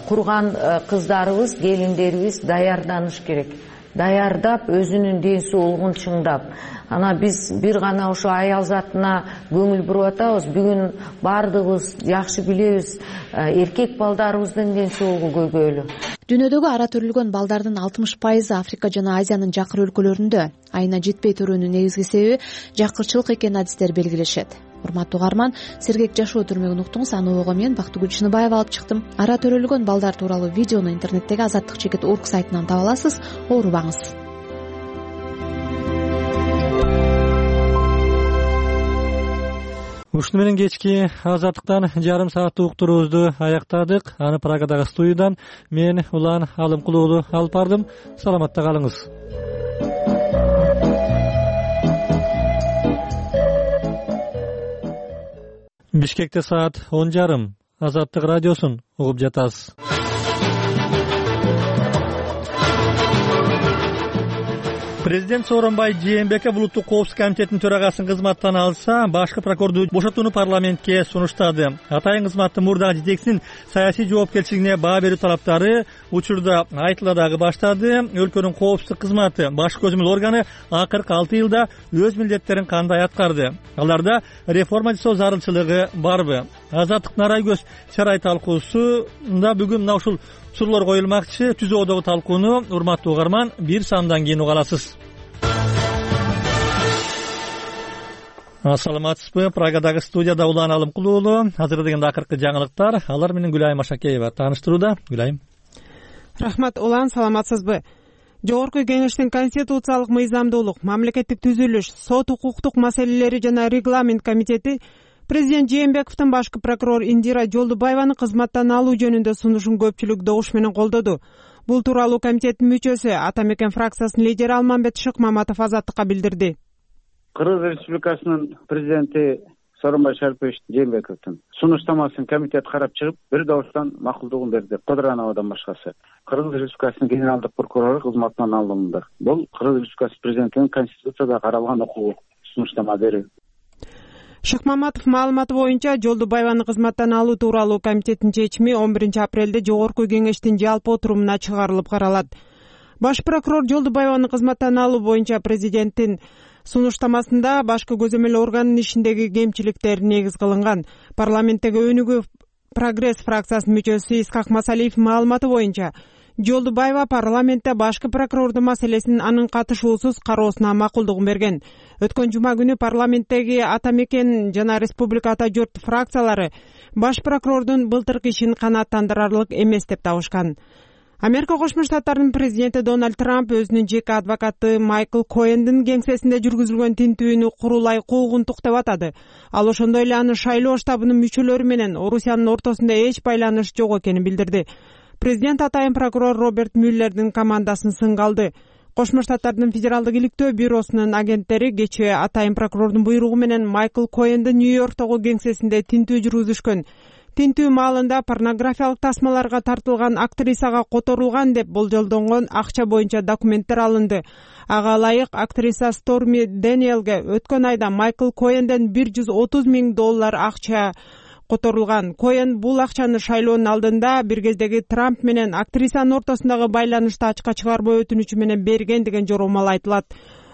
T: курган кыздарыбыз, келиндерибиз даярданыш керек. даярдап, өзүнүн ден соолугун чыңдап. Ана биз бир гана ошо аял затына көңүл буруп атабыз. Бүгүн бардыгыбыз жакшы билебиз, эркек балдарыбыздын ден соолугу көйгөйлүү.
Q: Дүйнөдөгү ара төрөлгөн балдардын 60% Африка жана Азиянын жакыр өлкөлөрүндө. Айына жетпей туруунун негизги себеби жакырчылык экенин адистер белгилешет. Урматтуу угарман, сергек жашоо түрмөгүн уктуңуз. Аны ого мен Бактыгүл Чыныбаева алып чыктым. Ара төрөлгөн балдар тууралуу видеону интернеттеги azattik.org сайтынан таба аласыз. Оорубаңыз.
A: Ушуну менен кечки Азаттыктан жарым сааттык уктуруубузду аяктадык. Аны Прагадагы студиядан мен Улан Алымкул уулу алып бардым. Саламатта калыңыз. Бишкекте саат 10:30. Азаттык радиосун угуп жатасыз. Президент Сооронбай Жээнбеков улуттук коопсуздук комитетинин төрагасын кызматтан алса, башкы прокурорду бошотууну парламентке сунуштады. Атайын кызматтын мурдагы жетекчисинин саясий жоопкерчилигине баа берүү талаптары учурда айтыла дагы баштады. Өлкөнүн коопсуздук кызматы баш көзөмөл органы акыркы 6 жылда өз милдеттерин кандай аткарды? Аларда реформа жасоо зарылчылыгы барбы? Азаттыктын арай көз чарай талкуусунда бүгүн мына ушул суроолор коюлмакчы. Түзөөдөгү талкууну урматтуу угарман бир саамдан кийин уга аласыз. Ассаламатсызбы? Прагадагы студияда Улан Алымкул уулу. Азыр дегенде акыркы жаңылыктар. Алар менен Гүлайым Ашакеева тааныштырууда. Гүлайым.
C: Рахмат Улан, саламатсызбы? Жогорку Кеңештин конституциялык мыйзамдуулук, мамлекеттик түзүлүш, сот укуктук маселелери жана регламент комитети Президент Жээнбековдун башкы прокурор Индира Жолдубаеваны кызматтан алуу жөнүндө сунушун көпчүлүк добуш менен колдоду. Бул тууралуу комитеттин мүчөсү Атамекен фракциясынын лидери Алмамбет Шыкмаматов Азаттыкка билдирди.
U: Кыргыз Республикасынын президенти Сооронбай Шарипович Жээнбековдун сунуштамасын комитет карап чыгып, бир добуштан макулдугун берди. Кодырановдон башкасы. Кыргыз Республикасынын генералдык прокурору кызматтан алынды. Бул Кыргыз Республикасы президентинин конституцияда каралган укугу сунуштама берүү.
C: Шыкмаматов маалыматы боюнча Жолдубаеваны кызматтан алуу тууралуу комитеттин чечими 11 апрелде Жогорку Кеңештин жалпы отурумуна чыгарылып каралат. Баш прокурор Жолдубаеваны кызматтан алуу боюнча президенттин сунуштамасында башкы көзөмөл органынын ишиндеги кемчиликтер негиз кылынган. Парламенттеги өнүгүү прогресс фракциясынын мүчөсү Искак Масалиев маалыматы боюнча Жолдубаева парламентте башкы прокурордун маселесин анын катышуусуз кароосуна макулдугун берген. Өткөн жума күнү парламенттеги Атамекен жана Республика Ата журт фракциялары баш прокурордун былтыркы ишин канааттандырарлык эмес деп табышкан. Америка Кошмо Штаттарынын президенти Дональд Трамп өзүнүн жеке адвокаты Майкл Коэндин кеңсесинде жүргүзүлгөн тинтүүнү курулай куугунтук деп атады. Ал ошондой эле аны шайлоо штабынын мүчөлөрү менен Орусиянын ортосунда эч байланыш жок экенин билдирди. Президент атайын прокурор Роберт Мюллердин командасын сынга алды. Кошмо Штаттардын федералдык иликтөө бюросунун агенттери кечээ атайын прокурордун буйругу менен Майкл Коэндин Нью-Йорктогу кеңсесинде тинтүү жүргүзүшкөн. Тинтүү маалында порнографиялык тасмаларга тартылган актрисага которулган деп болжолдонгон акча боюнча документтер алынды. Ага ылайык актриса Сторми Дэниелге өткөн айда Майкл Коэнден $130,000 акча которулган. Коэн бул акчаны шайлоонун алдында бир кездеги Трамп менен актрисанын ортосундагы байланышты ачка чыгарбоо өтүнүчү менен берген деген жоромал айтылат.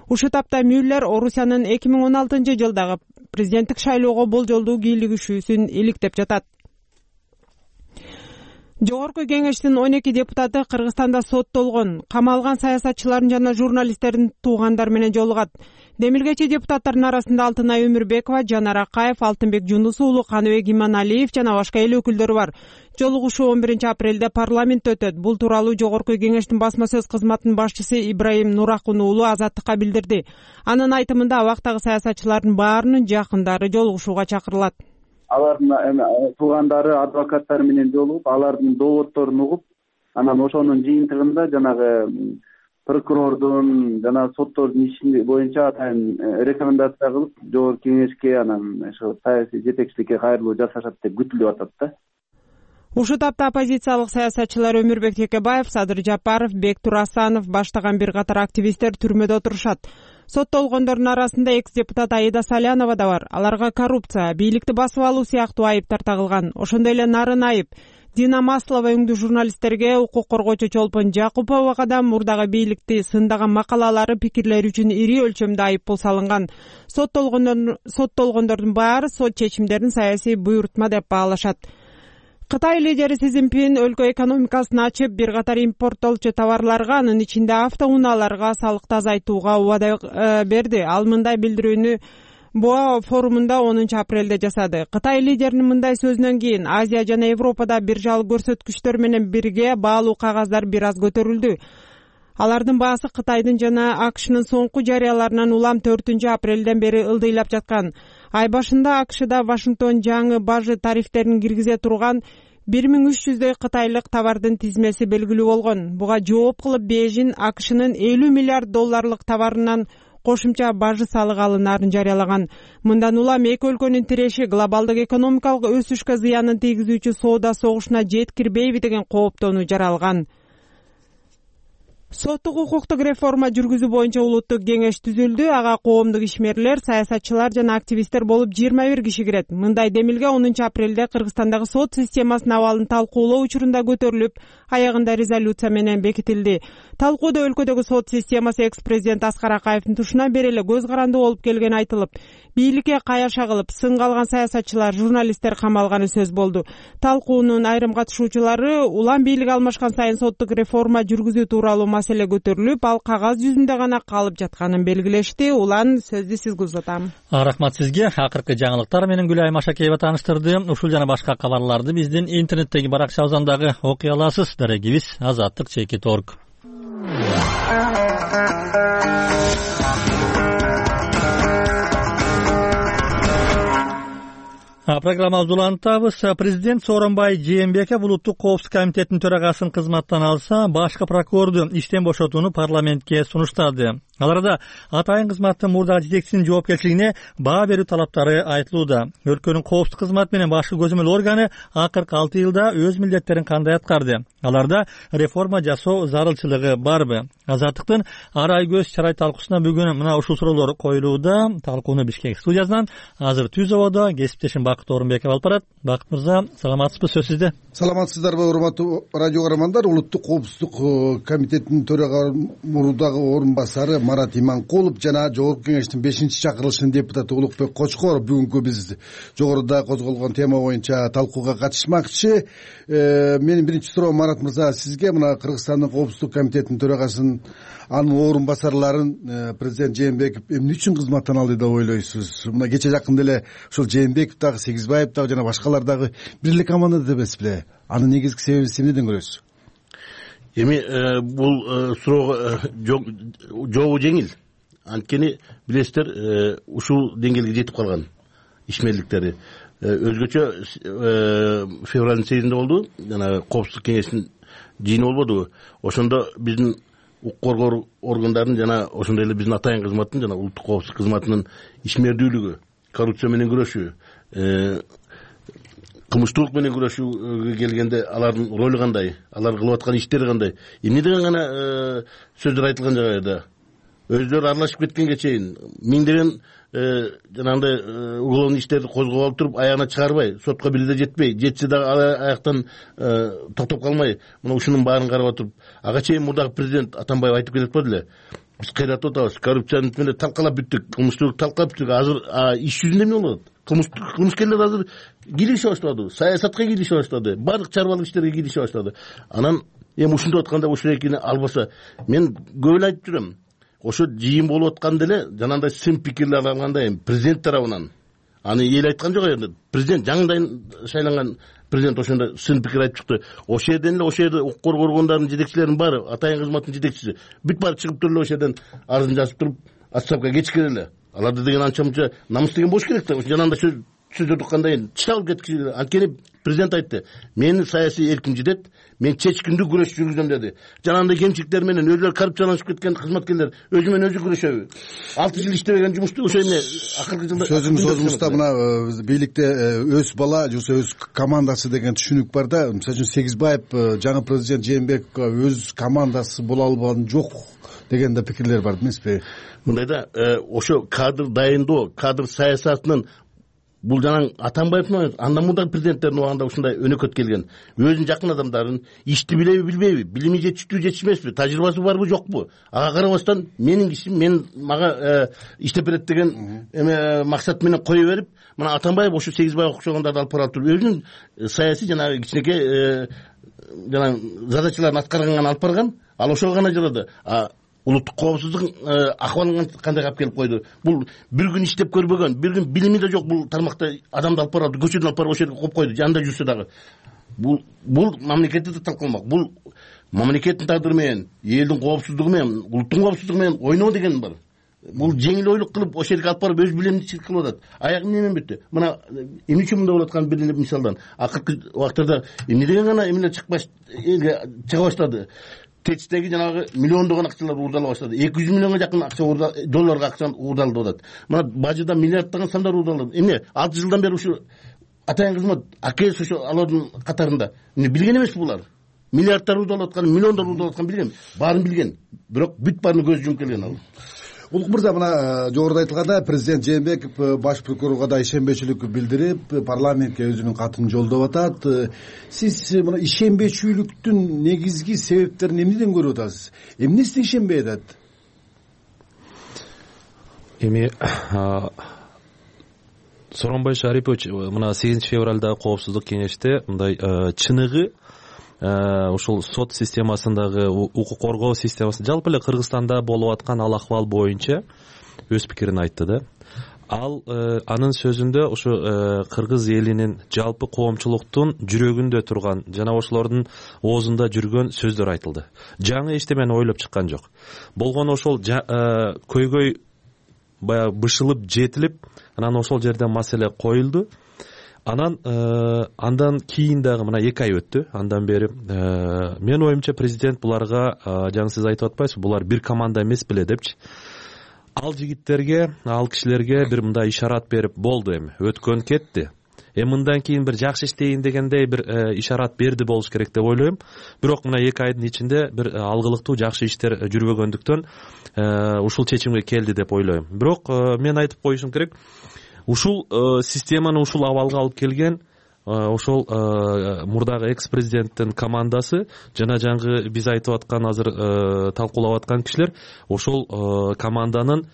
C: Ушул тапта Мюллер Орусиянын 2016 жылдагы президенттик шайлоого болжолдуу кийлигишүүсүн иликтеп жатат. Жогорку Кеңештин 12 депутаты Кыргызстанда соттолгон, камалган саясатчылардын жана журналисттердин туугандары менен жолугат. Демилгечи депутаттардын арасында Алтынай Өмүрбекова, Жанар Акаев, Алтынбек Жунус уулу, Каныбек Иманалиев жана башка эл өкүлдөрү бар. Жолугушуу 11 апрелде парламентте өтөт. Бул тууралуу Жогорку Кеңештин басма сөз кызматынын башчысы Ибраим Нуракун уулу Азаттыкка билдирди. Анын айтымында абактагы саясатчылардын баарынын жакындары жолугушууга чакырылат.
U: Алардын туугандары, адвокаттары менен жолугуп, алардын дооддорун угуп, анан ошонун жыйынтыгында жанагы прокурордун жана соттордун иши боюнча атайын рекомендация кылып, Жогорку Кеңешке анан ошо саясий жетекчиликке кайрылуу жасашат деп күтүлүп атат да.
C: Ушул тапта оппозициялык саясатчылар Өмүрбек Текебаев, Садыр Жапаров, Бектур Асанов баштаган бир катар активисттер түрмөдө отурушат. Соттолгондордун арасында экс-депутат Аида Салянова да бар. Аларга коррупция, бийликти басып алуу сыяктуу айыптар тагылган. Ошондой эле нарын айып. Дина Маслова өңдүү журналисттерге укук коргоочу Чолпон Жакуповага да мурдагы бийликти сындаган макалалары, пикирлери үчүн ири өлчөмдө айыппул салынган. Соттолгондордун баары сот чечимдерин саясий буйрутма деп баалашат. Кытай лидери Си Цзиньпин өлкө экономикасын ачып, бир катар импорттолчу товарларга, анын ичинде автоунааларга салыкты азайтууга убада берди. Ал мындай билдирүүнү БОА форумунда 10 апрелде жасады. Кытай лидеринин мындай сөзүнөн кийин Азия жана Европада биржал көрсөткүчтөр менен бирге баалуу кагаздар бир аз көтөрүлдү. Алардын баасы Кытайдын жана АКШнын соңку жарыяларынан улам 4 апрелден бери ылдыйлап жаткан. Ай башында АКШда Вашингтон жаңы бажы тарифтерин киргизе турган 1300 кытайлык товардын тизмеси белгилүү болгон. Буга жооп кылып Бейжин АКШнын $50 миллиард товарынан кошумча бажы салык алынаарын жарыялаган. Мындан улам эки өлкөнүн тиреши глобалдык экономикалык өсүшкө зыянын тийгизүүчү соода согушуна жеткирбейби деген кооптонуу жаралган. Соттук укуктук реформа жүргүзүү боюнча улуттук кеңеш түзүлдү. Ага коомдук ишмерлер, саясатчылар жана активисттер болуп 21 киши кирет. Мындай демилге 10 апрелде Кыргызстандагы сот системасынын абалын талкуулоо учурунда көтөрүлүп, аягында резолюция менен бекитилди. Талкууда өлкөдөгү сот системасы экс-президент Аскар Акаевдин тушунан бери эле көз каранды болуп келгени айтылып, бийликке каяша кылып, сынга алган саясатчылар, журналисттер камалганы сөз болду. Талкуунун айрым катышуучулары улам бийлик алмашкан сайын соттук реформа жүргүзүү тууралуу маселе көтөрүлүп, ал кагаз жүзүндө гана калып жатканын белгилешти. Улан сөздү сизге узатам.
A: Рахмат сизге. Акыркы жаңылыктар менен Гүлай Машакеева тааныштырды. Ушул жана башка кабарларды биздин интернеттеги баракчабыздан дагы окуй аласыз. Дарегибиз azadtik.org. Программабызды улантабыз. Президент Сооронбай Жээнбеков улуттук коопсуздук комитетинин төрагасынын кызматтан алса, башкы прокурорду иштен бошотууну парламентке сунуштады. Аларда атайын кызматтын мурдагы жетекчисинин жоопкерчилигине баа берүү талаптары айтылууда. Өлкөнүн коопсуздук кызматы менен башкы көзөмөл органы акыркы 6 жылда өз милдеттерин кандай аткарды? Аларда реформа жасоо зарылчылыгы барбы? Азаттыктын арай көз чарай талкуусуна бүгүн мына ушул суроолор коюлууда. Талкууну Бишкек студиясынан азыр Түзоводо кесиптешим Бакыт Орунбеков алып барат. Бакыт мырза, саламатсызбы? Сөз сизде.
D: Саламатсыздарбы, урматтуу радио көрөрмандар? Улуттук коопсуздук комитетинин төрагасы мурдагы орун басары Марат Иманкулов жана Жогорку кеңештин 5-чакырылышынын депутаты Улукбек Кочкоров бүгүнкү биз жогоруда козголгон тема боюнча талкууга катышмакчы. Менин биринчи суроом, Марат мырза, сизге мына Кыргызстандын коопсуздук комитетинин төрагасынын анын орун басарларын президент Жээнбеков эмне үчүн кызматтан алды деп ойлойсуз? Мына кече жакында эле ушул Жээнбеков дагы, Сегизбаев дагы жана башкалар дагы бирлик команда эмес беле? Анын негизги себебин эмнеден көрөсүз?
V: Эми бул суроого жообу жеңил. Анткени билесиздер, ушул деңгээлге жетип калган ишмерликтери. Өзгөчө февралдын 8-синде болду. Жана коопсуздук кеңештин жыйыны болбодубу? Ошондо биздин укук коргоо органдарынын жана ошондой эле биздин атайын кызматтын жана улуттук коопсуздук кызматынын ишмердүүлүгү, коррупция менен күрөшүү, кылмыштуулук менен күрөшүүгө келгенде алардын ролу кандай, алар кылып аткан иштери кандай, эмне деген гана сөздөр айтылган жагайда өздөрү аралашып кеткенге чейин миңдеген жанагындай уголовный иштерди козгоп алып туруп аягына чыгарбай, сотко бир да жетпей, жетсе дагы аяктан токтоп калмай, мына ушунун баарын карап отуруп, ага чейин мурдагы президент Атамбаев айтып кетет болду эле. Биз кыйратып атабыз, коррупцияны менен талкалап бүттүк, кылмыштуулукту талкалап бүттүк. Азыр иш жүзүндө эмне болуп атат? Кылмышкерлер азыр кийлишип баштады, саясатка кийлишип баштады, баардык чарбалык иштерге кийлишип баштады. Анан эми ушинтип атканда ушул экини албаса, мен көп эле айтып жүрөм. Ошо жыйын болуп атканда эле жанагындай сын пикирлер алганда эми президент тарабынан аны эл айткан жок енді. Президент жаңыдан шайланган президент ошондо сын пикир айтып чыкты. Ошол жерден эле ошол жерде укук коргоо органдарынын жетекчилеринин баары, атайын кызматтын жетекчиси бүт баары чыгып туруп эле ошол жерден арызын жазып туруп отставкага кетишкен эле. Аларды деген анча-мынча намыс деген болуш керек да. Жанагындай сөздөрдү кандай чыгып кеткиш. Анткени президент айтты, мени саясий эрким жетет, мен чечкиндүү күрөш жүргүзөм деди. Жанагындай кемчиликтер менен өзүлөрү коррупцияланышып кеткен кызматкерлер өзү менен өзү күрөшөбү? 6 жыл иштебеген жумушту ошо эмне акыркы жылда
D: сөзүңүздө мына бийликте өз бала же өз командасы деген түшүнүк бар да. Мисалы үчүн Сегизбаев жаңы президент Жээнбековго өз командасы боло албаган жок деген да пикирлер бар эмеспи?
V: Мындай да, ошо кадр дайындоо, кадр саясатынын бул жана Атамбаевдин андан мурдагы президенттердин убагында ушундай өнөкөт келген. Өзүнүн жакын адамдарын ишти билеби билбейби, билими жетиштүү жетишмеспи, тажрыйбасы барбы жокпу? Ага карабастан менин кишим мага иштеп берет деген максат менен кое берип, мына Атамбаев ошо Сегизбай окшогондорду алып барып туруп өзүнүн саясий жанагы кичинекей жана задачаларын аткарганга алып барган. Ал ошого гана жарады. Улуттук коопсуздук акыбалын кандай алып келип койду? Бул бир күн иштеп көрбөгөн, бир күн билими да жок бул тармакта адамды алып барып, көчөдөн алып барып ошол жерге коюп койду. Жанында жүрсө дагы. Бул мамлекетти да талкаламак. Бул мамлекеттин тагдыры менен, элдин коопсуздугу менен, улуттун коопсуздугу менен ойноо деген бар. Бул жеңил ойлук кылып ошол жерге алып барып өз билимдичилик кылып атат. Аягы эмне менен бүттү? Мына эмне үчүн мындай болуп аткан бир эле мисалдан. Акыркы убактарда эмне деген гана эмелер элге чыга баштады. ТЭЧтеги жанагы миллиондогон акчалар уурдала баштады. 200 миллионго жакын акча долларга акча уурдалып атат. Мына бажыда миллиарддаган сандар уурдалып. Эмне 6 жылдан бери ушу атайын кызмат АКС ошо алардын катарында. Эмне билген эмеспи булар? Миллиарддар уурдалып аткан, миллиондор уурдалып аткан билген. Баарын билген. Бирок бүт баарына көз жумуп келген ал.
D: Улук мырза, мына жогоруда айтылгандай президент Жээнбеков баш прокурорго да ишенбечүлүк билдирип, парламентке өзүнүн катын жолдоп атат. Сиз мына ишенбечүлүктүн негизги себептерин эмнеден көрүп атасыз? Эмнесине ишенбей атат?
E: Эми Сооронбай Шарипович мына 8-февралдагы коопсуздук кеңеште мындай чыныгы ушул сот системасындагы укук коргоо системасы жалпы эле Кыргызстанда болуп аткан ал акыбал боюнча өз пикирин айтты да. Ал анын сөзүндө ушу кыргыз элинин жалпы коомчулуктун жүрөгүндө турган жана ошолордун оозунда жүргөн сөздөр айтылды. Жаңы эчтемени ойлоп чыккан жок. Болгону ошол көйгөй баягы бышылып жетилип, анан ошол жерден маселе коюлду. Андан кийин дагы мына 2 ай өттү. Андан бери менин оюмча президент буларга жаңы сиз айтып атпайсызбы, булар бир команда эмес беле депчи. Ал жигиттерге, ал кишилерге бир мындай ишарат берип болду, эми өткөн кетти. Мындан кийин бир жакшы иштейин дегендей бир ишарат берди болуш керек деп ойлойм. Бирок мына 2 айдын ичинде бир алгылыктуу жакшы иштер жүрбөгөндүктөн ушул чечимге келди деп ойлойм. Бирок мен айтып коюшум керек, ушул системаны ушул абалга алып келген ошол мурдагы экс-президенттин командасы жана жаңы биз айтып аткан азыр талкуулап аткан кишилер ошол команданын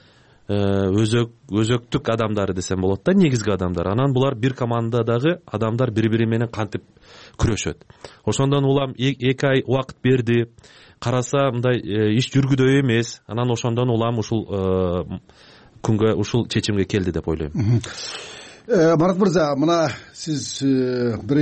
E: өзөктүк адамдары десем болот да, негизги адамдар. Анан булар бир командадагы адамдар бири-бири менен кантип күрөшөт. Ошондон улам 2 ай убакыт берди. Караса мындай иш жүргүдөй эмес. Анан ошондон улам ушул күнгө ушул чечимге келди деп ойлойм.
D: Марат мырза, мына сиз бир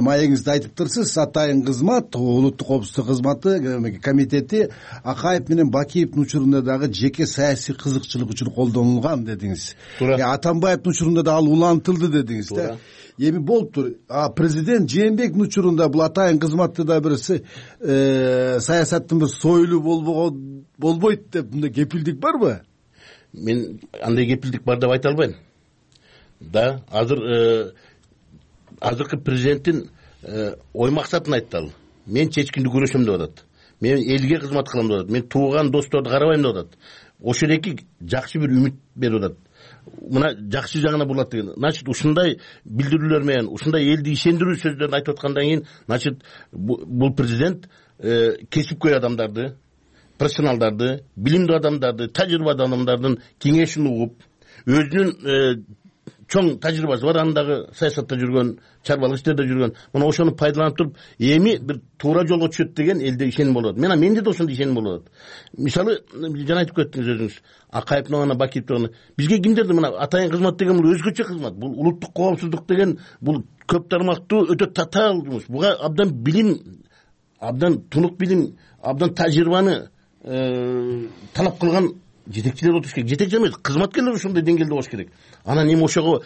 D: маегиңизде айтыптырсыз, атайын кызмат, улуттук коопсуздук кызматы комитети Акаев менен Бакиевдин учурунда дагы жеке саясий кызыкчылык үчүн колдонулган дедиңиз. Атамбаевдин учурунда да ал улантылды дедиңиз да. Эми болуптур. Президент Жээнбековдун учурунда бул атайын кызматты да бир саясаттын бир союлу болбойт деп мындай кепилдик барбы?
V: Мен андай кепилдик бар деп айта албайм. Да, азыркы президенттин ой максатын айтты ал. Мен чечкиндүү күрөшөм деп атат. Мен элге кызмат кылам деп атат. Мен тууган досторду карабайм деп атат. Ошол эки жакшы бир үмүт берип атат. Мына жакшы жагына бурулат деген. Значит, ушундай билдирүүлөр менен, ушундай элди ишендирүү сөздөрүн айтып аткандан кийин, значит, бул президент кесипкөй адамдарды, профессионалдарды, билимдүү адамдарды, тажрыйбалуу адамдардын кеңешин угуп, өзүнүн чоң тажрыйбасы бар, андагы саясатта жүргөн, чарбалык иштерде жүргөн, мына ошону пайдаланып туруп, эми бир туура жолго түшөт деген элде ишеним болот. Менде да ошондой ишеним болот. Мисалы, жана айтып кеттиңиз өзүңүз, Акаев менен Бакиев менен бизге кимдерди мына атайын кызмат деген бул өзгөчө кызмат. Бул улуттук коопсуздук деген бул көп тармактуу өтө татаал жумуш. Буга абдан билим, абдан тунук билим, абдан тажрыйбаны талап кылган жетекчилер отуруш керек. Жетекчи эмес, кызматкерлер ушундай деңгээлде болуш керек. Анан эми ошого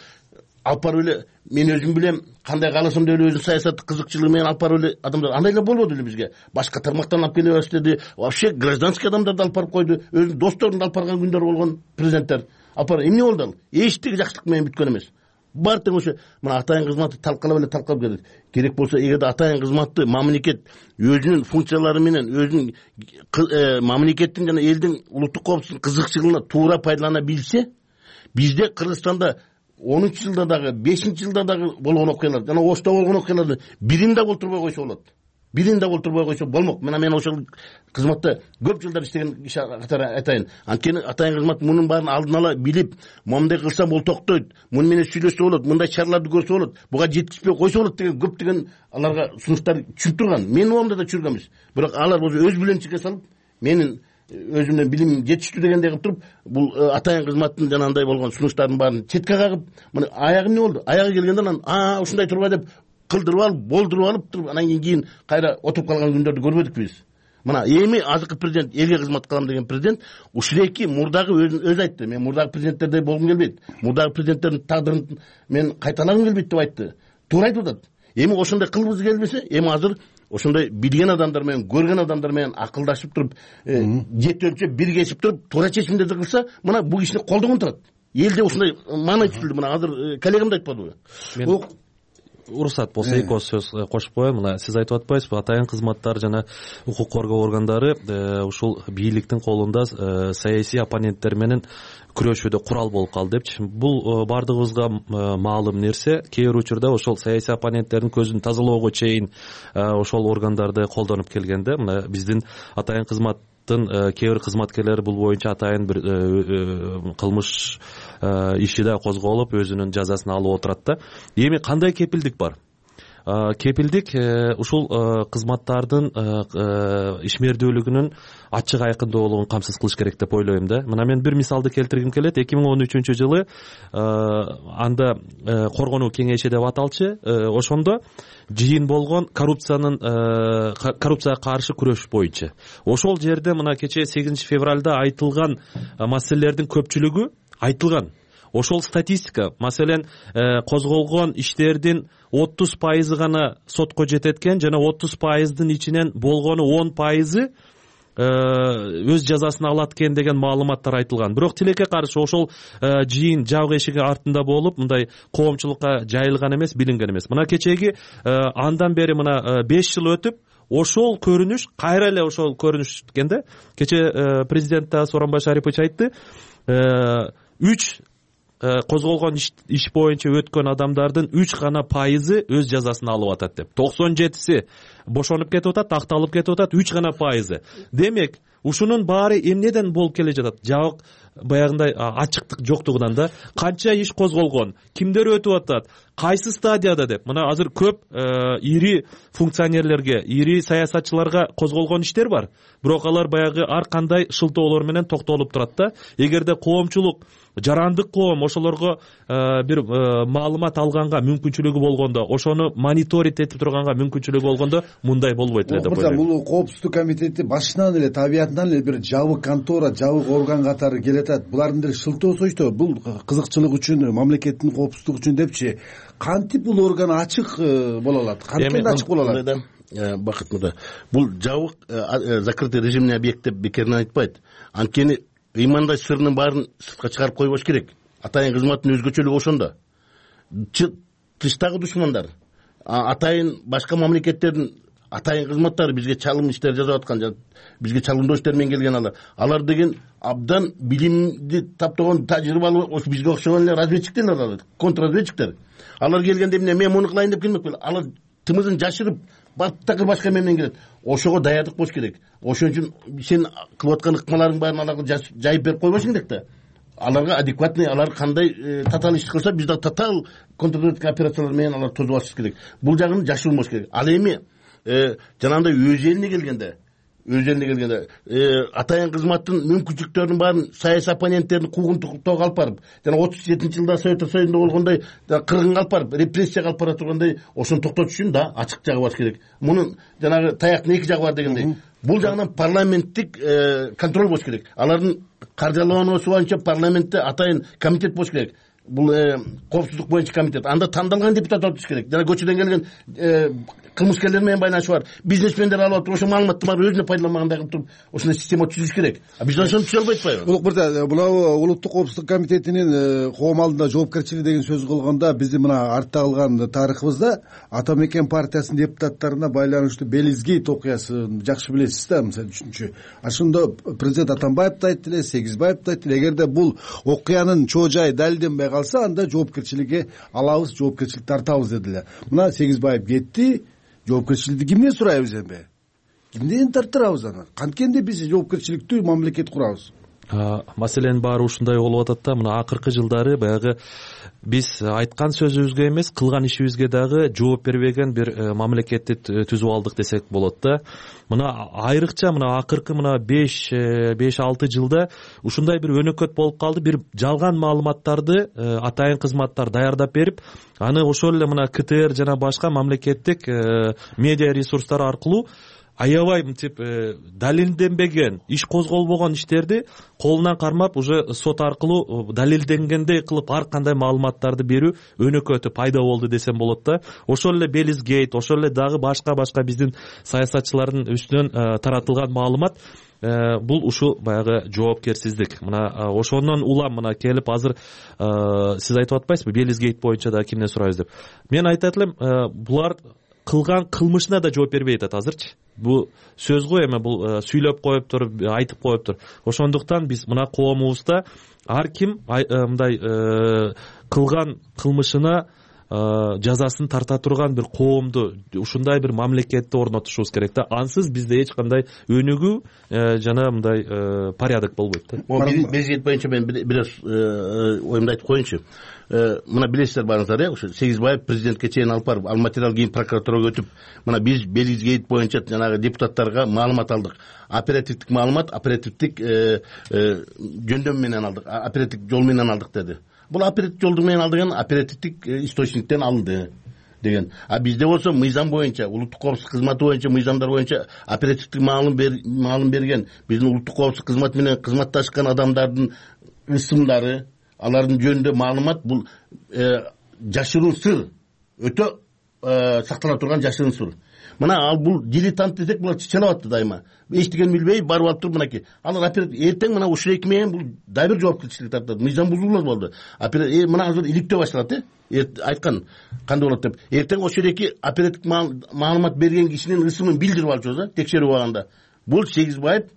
V: алып барып эле мен өзүм билем, кандай кааласам деп эле өзүнүн саясаттык кызыкчылыгы менен алып барып эле адамдар андай эле болбоду эле бизге. Башка тармактан алып келе баштады. Вообще гражданский адамдарды алып барып койду. Өзүнүн досторун алып барган күндөр болгон президенттер. Алып барып эмне болду ал? Эчтеги жакшылык менен бүткөн эмес. Бар тең ошо мына атайын кызматты талкалап келет. Керек болсо эгерде атайын кызматты мамлекет өзүнүн функциялары менен, өзүнүн мамлекеттин жана элдин улуттук коопсуздук кызыкчылыгына туура пайдалана билсе, бизде Кыргызстанда 10 жылда дагы 5 жылда дагы болгон окуялар жана Ошто болгон окуяларды бирин да болтурбой койсо болот. Бирин да болтурбой койсо болмок. Мына мен ошол кызматта көп жылдар иштеген киши катары айтайын. Анткени атайын кызмат мунун баарын алдын ала билип, момундай кылсам бул токтойт, муну менен сүйлөшсө болот, мындай чараларды көрсө болот, буга жетишпей койсо болот деген көптөгөн аларга сунуштар түшүп турган. Менин оомда да чүргөн эмес. Бирок алар өз билимчиликке салып, менин өзүмдөн билим жетиштүү дегендей кылып туруп, бул атайын кызматтын жанагындай болгон сунуштардын баарын четке кагып, мына аягы эмне болду? Аягы келгенде анан ушундай турба деп кылдырып алып, болдуруп алып туруп, анан кийин кайра отуруп калган күндөрдү көрбөдүк биз. Мына эми азыркы президент, элге кызмат кылам деген президент ушуреки мурдагы өзү айтты. Мен мурдагы президенттердей болгум келбейт. Мурдагы президенттердин тагдырын мен кайталагым келбейт деп айтты. Туура айтып атат. Эми ошондой кылгыбыз келбесе, эми азыр ошондой билген адамдар менен, көргөн адамдар менен акылдашып туруп, жети өлчөп биргешип туруп, туура чечимдерди кылса, мына бул кишини колдогон турат. Элде ушундай маанай түзүлдү. Мына азыр коллегам да айтпадыбы?
E: Уруксат болсо эки ооз сөз кошуп коеюн. Мына сиз айтып атпайсызбы, атайын кызматтар жана укук коргоо органдары ушул бийликтин колунда саясий оппоненттер менен күрөшүүдө курал болуп калды депчи. Бул бардыгыбызга маалым нерсе. Кээ бир учурда ошол саясий оппоненттердин көзүн тазалоого чейин ошол органдарды колдонуп келгенде, мына биздин атайын кызматтын кээ бир кызматкерлери бул боюнча атайын бир кылмыш иши да козголуп, өзүнүн жазасын алып отурат да. Эми кандай кепилдик бар? Кепилдик ушул кызматтардын ишмердүүлүгүнүн ачык айкындуулугун камсыз кылыш керек деп ойлойм да. Мына мен бир мисалды келтиргим келет. 2013-жылы анда коргонуу кеңеши деп аталчы, ошондо жыйын болгон коррупцияга каршы күрөш боюнча. Ошол жерде мына кечээ 8 февралда айтылган маселелердин көпчүлүгү айтылган. Ошол статистика, маселен, козголгон иштердин 30% гана сотко жетет экен, жана 30%дын ичинен болгону 10% өз жазасын алат экен деген маалыматтар айтылган. Бирок тилекке каршы ошол жыйын жабык эшиги артында болуп, мындай коомчулукка жайылган эмес, билинген эмес. Мына кечеги андан бери мына 5 жыл өтүп, ошол көрүнүш кайра эле ошол көрүнүш экен да. Кече президент Сооронбай Шарипович айтты, 3 козголгон иш боюнча өткөн адамдардын 3 гана пайызы өз жазасын алып атат деп. 97си бошонуп кетип атат, акталып кетип атат, 3 гана пайызы. Демек, ушунун баары эмнеден болуп келе жатат? Жабык баягындай ачыктык жоктугунан да. Канча иш козголгон, кимдер өтүп атат, кайсы стадияда деп. Мына азыр көп ири функционерлерге, ири саясатчыларга козголгон иштер бар. Бирок алар баягы ар кандай шылтоолор менен токтолуп турат да. Эгерде коомчулук, жарандык коом ошолорго бир маалымат алганга мүмкүнчүлүгү болгондо, ошону мониторинг этип турганга мүмкүнчүлүгү болгондо мындай болбойт эле деп ойлойм.
D: Бул коопсуздук комитети башынан эле табиятынан эле бир жабык контора, жабык орган катары келет. Булардын деле шылтоосу ичте бул кызыкчылык үчүн, мамлекеттин коопсуздугу үчүн депчи. Кантип бул орган ачык боло алат? Кантип ачык боло алат?
V: Бакыт мырза, бул жабык закрытый режимный объект деп бекеринен айтпайт. Анткени ыймандай сырынын баарын сыртка чыгарып койбош керек. Атайын кызматтын өзгөчөлүгү ошондо. Тыштагы душмандар, атайын башка мамлекеттердин атайын кызматтары бизге чалым иштер жасап аткан, бизге чалымдоо иштер менен келген алар деген абдан билимди таптаган, тажрыйбалуу, бизге окшогон эле разведчиктер, контрразведчиктер. Алар келгенде эмне, мен муну кылайын деп келмек беле. Алар тымызын жашырып, баттакыр башка менен келет. Ошого даярдык болуш керек. Ошон үчүн сен кылып аткан ыкмаларың баарын аларга жайып берип койбошуң керек да. Аларга адекватный, алар кандай татаал иш кылса, биз да татаал контрразведка операциялар менен алар тозуп алыш керек. Бул жагын жашырмаш керек. Ал эми жанагындай өз элине келгенде, атайын кызматтын мүмкүнчүлүктөрүнүн баарын саясий оппоненттердин куугунтуктоого алып барып, жана 37-жылда Совет Союзунда болгондой кыргынга алып барып, репрессияга алып бара тургандай, ошону токтотуш үчүн да ачык жагы бар керек. Мунун жанагы таяктын эки жагы бар дегендей. Бул жагынан парламенттик контроль болуш керек. Алардын каржылануусу боюнча парламентте атайын комитет болуш керек. Бул коопсуздук боюнча комитет. Анда тандалган депутат отуш керек. Жана көчөдөн келген кылмышкерлер менен байланышы бар, бизнесмендер алып атып, ошо маалыматты баары өзүнө пайдаланмагандай кылып туруп, ошондой система түзүш керек. Биз ошону түзө албай атпайбы? Улук
D: мырза, мына улуттук коопсуздук комитетинин коом алдында жоопкерчилиги деген сөз кылганда, биздин мына артта калган тарыхыбызда Ата Мекен партиясынын депутаттарына байланыштуу Белизгейт окуясын жакшы билесиз да, мисалы үчүнчү. Ошондо президент Атамбаев да айтты эле, Сегизбаев да айтты эле, эгерде бул окуянын чоо жайы далилденбей калса анда жоопкерчиликке алабыз, жоопкерчилик тартабыз дедилер. Мына Сегизбаев кетти, жоопкерчиликти кимден сурайбыз эми? Кимден тарттырабыз аны? Канткенде биз жоопкерчиликтүү мамлекет курабыз?
E: Маселенин баары ушундай болуп атат да. Мына акыркы жылдары баягы биз айткан сөзүбүзгө эмес, кылган ишибизге дагы жооп бербеген бир мамлекетти түзүп алдык десек болот да. Мына айрыкча мына акыркы мына 5-6 жылда ушундай бир өнөкөт болуп калды. Бир жалган маалыматтарды атайын кызматтар даярдап берип, аны ошол эле мына КТР жана башка мамлекеттик медиа ресурстар аркылуу аябай мынтип далилденбеген, иш козголбогон иштерди колунан кармап уже сот аркылуу далилденгендей кылып ар кандай маалыматтарды берүү өнөкөтү пайда болду десем болот да. Ошол эле Белизгейт, ошол эле дагы башка биздин саясатчылардын үстүнөн таратылган маалымат бул ушул баягы жоопкерсиздик. Мына ошондон улам мына келип азыр сиз айтып атпайсызбы Белизгейт боюнча да кимден сурайбыз деп. Мен айтат элем, булар кылган кылмышына да жооп бербей атат азырчы. Бул сөз го эми, бул сүйлөп коюптур, айтып коюптур. Ошондуктан биз мына коомубузда ар ким мындай кылган кылмышына жазасын тарта турган бир коомду, ушундай бир мамлекетти орнотушубуз керек да. Ансыз бизде эч кандай өнүгүү жана мындай порядок болбойт да.
V: Белизгейт боюнча мен бир оюмду айтып коеюнчу. Мына билесиздер баарыңыздар, ошо Сегизбаев президентке чейин алып барып, ал материал кийин прокуратурага өтүп, мына биз Белизгейт боюнча жанагы депутаттарга маалымат алдык. Оперативдик маалымат, оперативдик жөндөм менен алдык, оперативдик жол менен алдык деди. Бул оперативдик жолдун менен алдыган оперативдик источниктен алынды деген. А бизде болсо мыйзам боюнча, улуттук коопсуздук кызматы боюнча, мыйзамдар боюнча оперативдик маалым берген, биздин улуттук коопсуздук кызматы менен кызматташкан адамдардын ысымдары, алардын жөнүндө маалымат, бул жашыруун сыр, өтө сактала турган жашыруун сыр. Мына ал бул дилетант десек, булар чычалап атты дайыма. Эчтеген билбей барып алып туруп, мынакей. Алар эртең мына ушул эки менен бул дагы бир жоопкерчилик тартат. Мыйзам бузуулар болду. Мына азыр иликтөө башталат, айткан кандай болот деп. Эртең ошол эки оперативдик маалымат берген кишинин ысымын билдирип алчубуз да, текшерип алганда. Бул Сегизбаев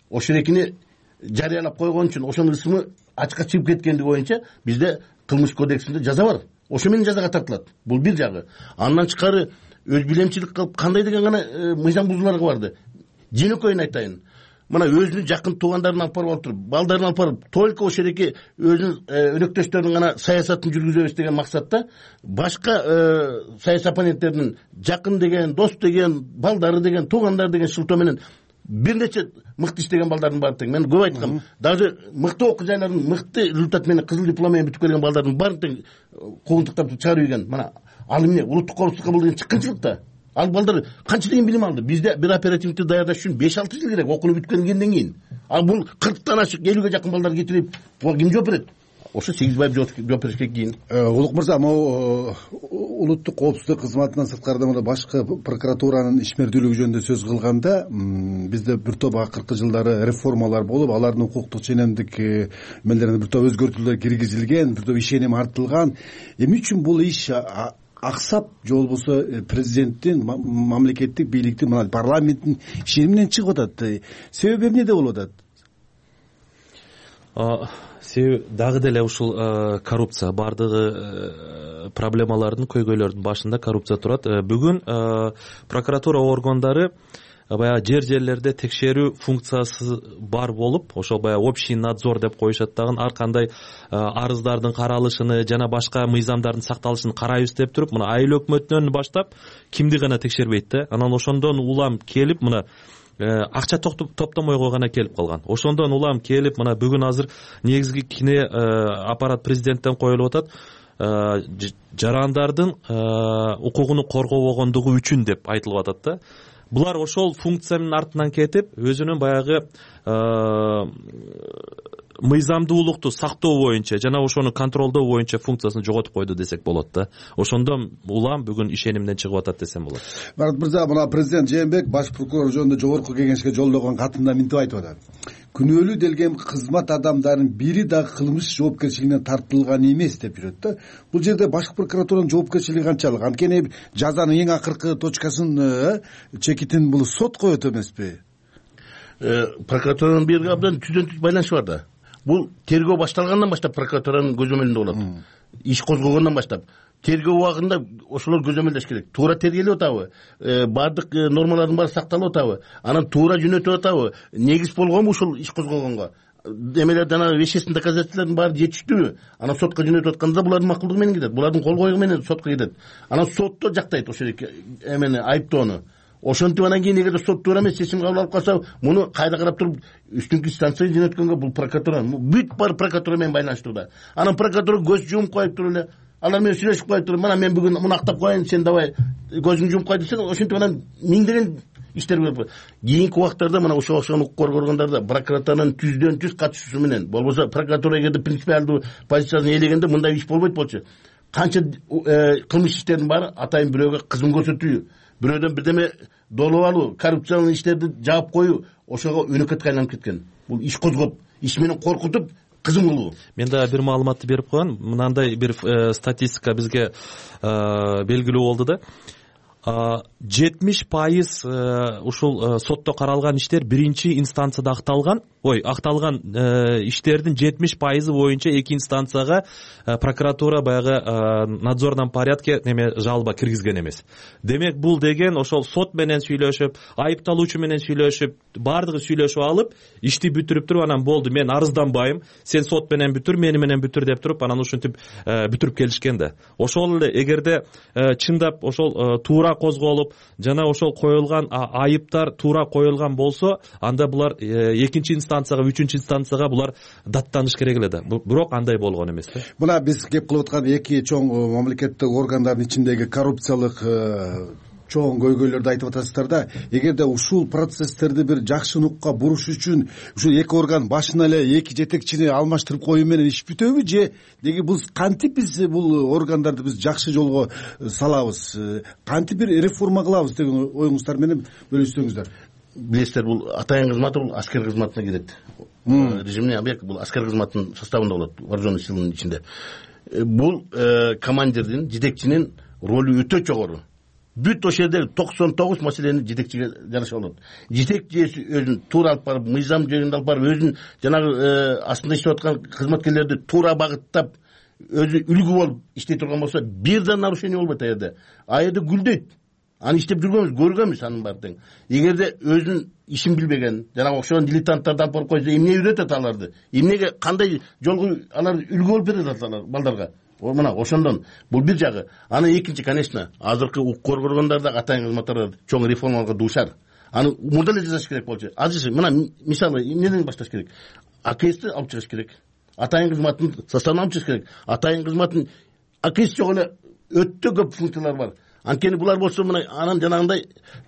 V: ошол экини жарыялап койгон үчүн, ошонун ысымы ачыкка чыгып кеткендиги боюнча бизде кылмыш кодексинде жаза бар. Ошо менен жазага тартылат. Бул бир жагы. Андан тышкары өз билемчилик кылып кандай деген гана мыйзам бузууларга барды. Жөнөкөйүн айтайын. Мына өзүнүн жакын туугандарын алып барып отуруп, балдарын алып барып, только ошол эки өзүнүн өнөктөштөрүнүн гана саясатын жүргүзөбүз деген максатта башка саясий оппоненттердин жакын деген, дос деген, балдары деген, туугандары деген шылтоо менен бир нече мыкты иштеген балдардын баары тең. Мен көп айткам, даже мыкты окуу жайлардын мыкты результат менен кызыл диплом менен бүтүп келген балдардын баарын тең куугунтуктап чыгарып ийген. Мына ал эмне улуттук коопсуздукка бул деген чыккынчылык да. Ал балдар канча деген билим алды? Бизде бир оперативникти даярдаш үчүн 5-6 жыл керек, окууну бүткөндөн кийин. Ал бул 40тан ашык, 50ге жакын балдар кетирип, буга ким жооп берет? Ошо Сегизбаев жооп беришке кийин.
D: Улук мырза, могу улуттук коопсуздук кызматынан сырткарда мына башкы прокуратуранын ишмердүүлүгү жөнүндө сөз кылганда, бизде бир топ акыркы жылдары реформалар болуп, алардын укуктук ченемдик эмелерине бир топ өзгөртүүлөр киргизилген, бир топ ишеним артылган. Эмне үчүн бул иш аксап, же болбосо президенттин, мамлекеттик бийликтин, мына парламенттин ишениминен чыгып атат? Себеби эмнеде болуп атат?
E: Себеби дагы деле ушул коррупция, бардыгы проблемалардын, көйгөйлөрдүн башында коррупция турат. Бүгүн прокуратура органдары баягы жерлерде текшерүү функциясы бар болуп, ошол баягы общий надзор деп коюшат дагы, ар кандай арыздардын каралышын жана башка мыйзамдардын сакталышын карайбыз деп туруп, мына айыл өкмөтүнөн баштап кимди гана текшербейт да. Анан ошондон улам келип, мына акча топтомойго гана келип калган. Ошондон улам келип, мына бүгүн азыр негизги кине аппарат президенттен коюлуп атат. Жарандардын укугуну коргобогондугу үчүн деп айтылып атат да. Булар ошол функциянын артынан кетип, өзүнүн баягы мыйзамдуулукту сактоо боюнча жана ошону контролдоо боюнча функциясын жоготуп койду десек болот да. Ошондон улам бүгүн ишенимден чыгып атат десем болот.
D: Марат мырза, мына президент Жээнбек баш прокурор жөнүндө жогорку кеңешке жолдогон катында мынтип айтып атат: күнөөлүү делген кызмат адамдарынын бири дагы кылмыш жоопкерчилигине тартылган эмес деп жүрөт да. Бул жерде башкы прокуратуранын жоопкерчилиги канчалык? Анткени жазанын эң акыркы точкасын, чекитин бул сот коет эмеспи?
V: Прокуратуранын бирге абдан түздөн түз байланышы бар да. бул тергөө башталгандан баштап прокуратуранын көзөмөлүндө болот. Иш козголгондон баштап тергөө убагында ошолор көзөмөлдөш керек. Туура тергелип атабы, баардык нормалардын баары сакталып атабы, анан туура жөнөтүп атабы, негиз болгонбу ушул иш козголгонго, эмелер жанагы вещественный доказательстволордун баары жетиштүүбү, анан сотко жөнөтүп атканда булардын макулдугу менен кетет, булардын кол коюу менен сотко кетет. Анан сотто жактайт ошол эмени айыптоону. Ошентип анан кийин эгерде сот туура эмес чечим кабыл алып калса, муну кайда карап туруп үстүнкү инстанцияга жөнөткөнгө бул прокуратура бүт баары прокуратура менен байланыштууда. Анан прокуратура көз жумуп коюп туруп эле алар менен сүйлөшүп коюп туруп, мына мен бүгүн муну актап коеюн, сен давай көзүңдү жумуп кой десең, ошентип анан миңдеген иштер болуп. Кийинки убактарда мына ушуга окшогон укук коргоо органдарда прокуратуранын түздөн-түз катышуусу менен, болбосо прокуратура эгерде принципиалдуу позициясын ээлегенде мындай иш болбойт болчу. Канча кылмыш иштердин баары атайын бирөөгө кызым көрсөтүү, бирөөдөн бирдеме долуп алуу, коррупциялык иштерди жаап коюу ошого өнөкөткө айланып кеткен. Бул иш козгоп, иш менен коркутуп кызым кылуу.
E: Мен да бир маалыматты берип коеюн. Мынандай бир статистика бизге белгилүү болду да. 70% ушул сотто каралган иштер биринчи инстанцияда акталган иштердин 70% боюнча эки инстанцияга прокуратура баягы надзорном порядке жалоба киргизген эмес. Демек бул деген ошол сот менен сүйлөшүп, айыпталуучу менен сүйлөшүп, баардыгы сүйлөшүп алып, ишти бүтүрүп туруп анан болду, мен арызданбайм, сен сот менен бүтүр, мени менен бүтүр деп туруп анан ушинтип бүтүрүп келишкен да. Ошол эле эгерде чындап ошол туура козголуп, жана ошол коюлган айыптар туура коюлган болсо, анда булар экинчи инстанцияга, үчүнчү инстанцияга булар даттаныш керек эле да. Бирок андай болгон эмес да.
D: Мына биз кеп кылып аткан эки чоң мамлекеттик органдардын ичиндеги коррупциялык чоң көйгөйлөрдү айтып атасыздар да. Эгерде ушул процесстерди бир жакшы нукка буруш үчүн ушул эки орган башына эле эки жетекчини алмаштырып коюу менен иш бүтөбү же деги биз кантип биз бул органдарды биз жакшы жолго салабыз, кантип бир реформа кылабыз деген оюңуздар менен бөлүшсөңүздөр.
V: Билесиздер, бул атайын кызматы бул аскер кызматына кирет. Режимный объект бул аскер кызматынын составында болот, вооруженный силанын ичинде. Бул командирдин, жетекчинин ролу өтө жогору. Бүт ошол жерде 99 маселени жетекчиге жараша болот. Жетекчи өзүн туура алып барып, мыйзам жөнүндө алып барып, өзүн жанагы астында иштеп аткан кызматкерлерди туура багыттап, өзү үлгү болуп иштей турган болсо, бир да нарушение болбойт аерде. Аерде гүлдөйт. Аны иштеп жүргөнбүз, көргөнбүз анын баары тең. Эгерде өзүн ишин билбеген, жанагы окшогон дилетанттарды алып барып койсо, эмне үйрөтөт аларды? Эмнеге кандай жолго алар үлгү болуп берет алар балдарга? Мына ошондон бул бир жагы. Аны экинчи, конечно, азыркы укук коргоо органдарда атайын кызматтар чоң реформаларга дуушар. Аны мурда эле жасаш керек болчу. Азыр мына мисалы эмнеден башташ керек? АКСти алып чыгыш керек. Атайын кызматтын составына алып чыгыш керек. Атайын кызматтын АКС жок эле өтө көп функциялар бар. Анткени булар болсо мына анан жанагындай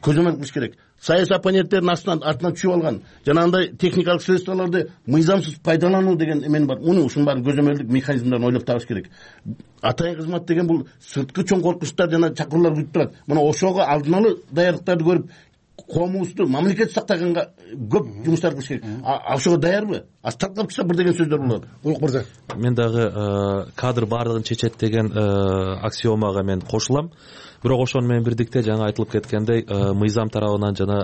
V: көзөмөл кылыш керек. Саясий оппоненттердин артынан түшүп алган жанагындай техникалык средстволорду мыйзамсыз пайдалануу деген эмен бар. Муну ушунун баарын көзөмөлдүк механизмдерин ойлоп табыш керек. Атайын кызмат деген бул сырткы чоң коркунучтар жана чакыруулар күтүп турат. Мына ошого алдын ала даярдыктарды көрүп, коомубузду, мамлекетти сактаганга көп жумуштар кылыш керек. Ошого даярбы? Таркап чыкса бир деген сөздөр болот. Улук мырза.
E: Мен дагы кадр баардыгын чечет деген аксиомага мен кошулам. Бирок ошону менен бирдикте жаңа айтылып кеткендей, мыйзам тарабынан жана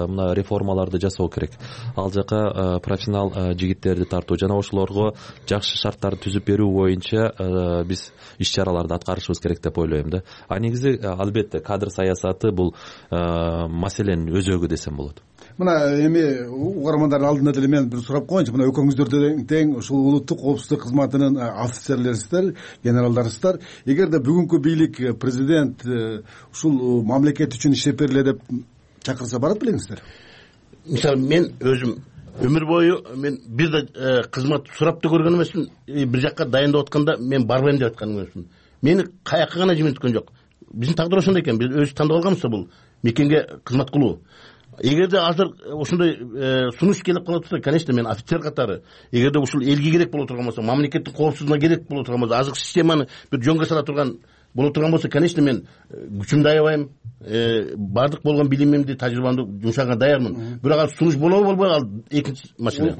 E: мына реформаларды жасоо керек. Ал жака профессионал жигиттерди тартуу жана ошолорго жакшы шарттарды түзүп берүү боюнча биз иш чараларды аткарышыбыз керек деп ойлойм да. Негизи албетте кадр саясаты бул маселенин өзөгү десем болот.
D: Мына эми угармандардын алдында деле мен бир сурап коеюнчу. Мына экөөңүздөр тең ушул улуттук коопсуздук кызматынын офицерлерисиздер, генералдарысыздар. Эгерде бүгүнкү бийлик, президент ушул мамлекет үчүн иштеп бергиле деп чакырса барат белеңиздер?
V: Мисалы мен өзүм өмүр бою мен бир да кызмат сурап да көргөн эмесмин. Бир жакка дайындап атканда мен барбайм деп аткан эмесмин. Мени каяка гана жиберткөн жок. Биздин тагдыр ошондой экен. Биз өзүбүз тандап алганбыз бул мекенге кызмат кылуу. Эгерде азыр ошондой сунуш келип кала турса, конечно, мен офицер катары, эгерде ушул элге керек боло турган болсо, мамлекеттин коопсуздугуна керек боло турган болсо, азыркы системаны бир жөнгө сала турган боло турган болсо, конечно, мен күчүмдү аябайм, баардык болгон билимимди, тажрыйбамды жумшаганга даярмын. Бирок ал сунуш болобу болбойбу, ал экинчи маселе.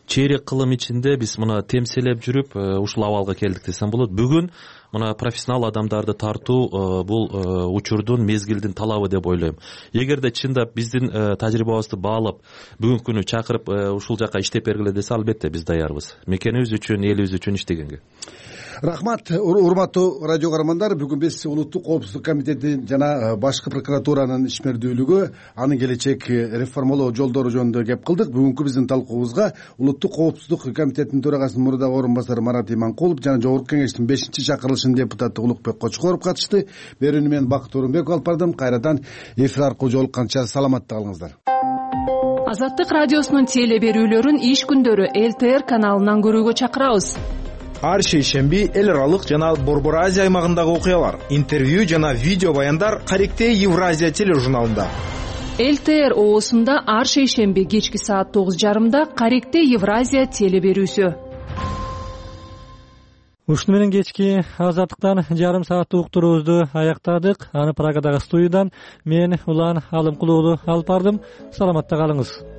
E: Чейрек кылым ичинде биз муну темселеп жүрүп ушул абалга келдик десем болот. Бүгүн мына профессионал адамдарды тартуу бул учурдун мезгилдин талабы деп ойлойм. Эгерде чындап биздин тажрыйбабызды баалап бүгүнкү күнү чакырып ушул жака иштеп бергиле десе, албетте биз даярбыз мекенибиз үчүн, элибиз үчүн иштегенге.
D: Рахмат, урматтуу радио каармандар. Бүгүн биз улуттук коопсуздук комитети жана башкы прокуратуранын ишмердүүлүгү, анын келечек реформалоо жолдору жөнүндө кеп кылдык. Бүгүнкү биздин талкуубузга улуттук коопсуздук комитетинин төрагасынын мурдагы орун басары Марат Иманкулов жана Жогорку Кеңештин 5-чакырылышынын депутаты Улукбек Кочкоров катышты. Берүүнү мен Бакыт Орунбеков алып бардым. Кайрадан эфир аркылуу жолукканча саламатта калыңыздар.
G: Азаттык радиосунун теле берүүлөрүн иш күндөрү ЛТР каналынан көрүүгө чакырабыз.
F: Ар шейшемби эл аралык жана Борбор Азия аймагындагы окуялар, интервью жана видео баяндар Каректе Евразия тележурналында.
G: ЛТР оосунда ар шейшемби кечки саат 9:30 Каректе Евразия теле берүүсү.
A: Ушуну менен кечки азаттыктан жарым сааттык уктуруубузду аяктадык. Аны Прагадагы студиядан мен Улан Алымкулуу алып бардым. Саламатта калыңыз.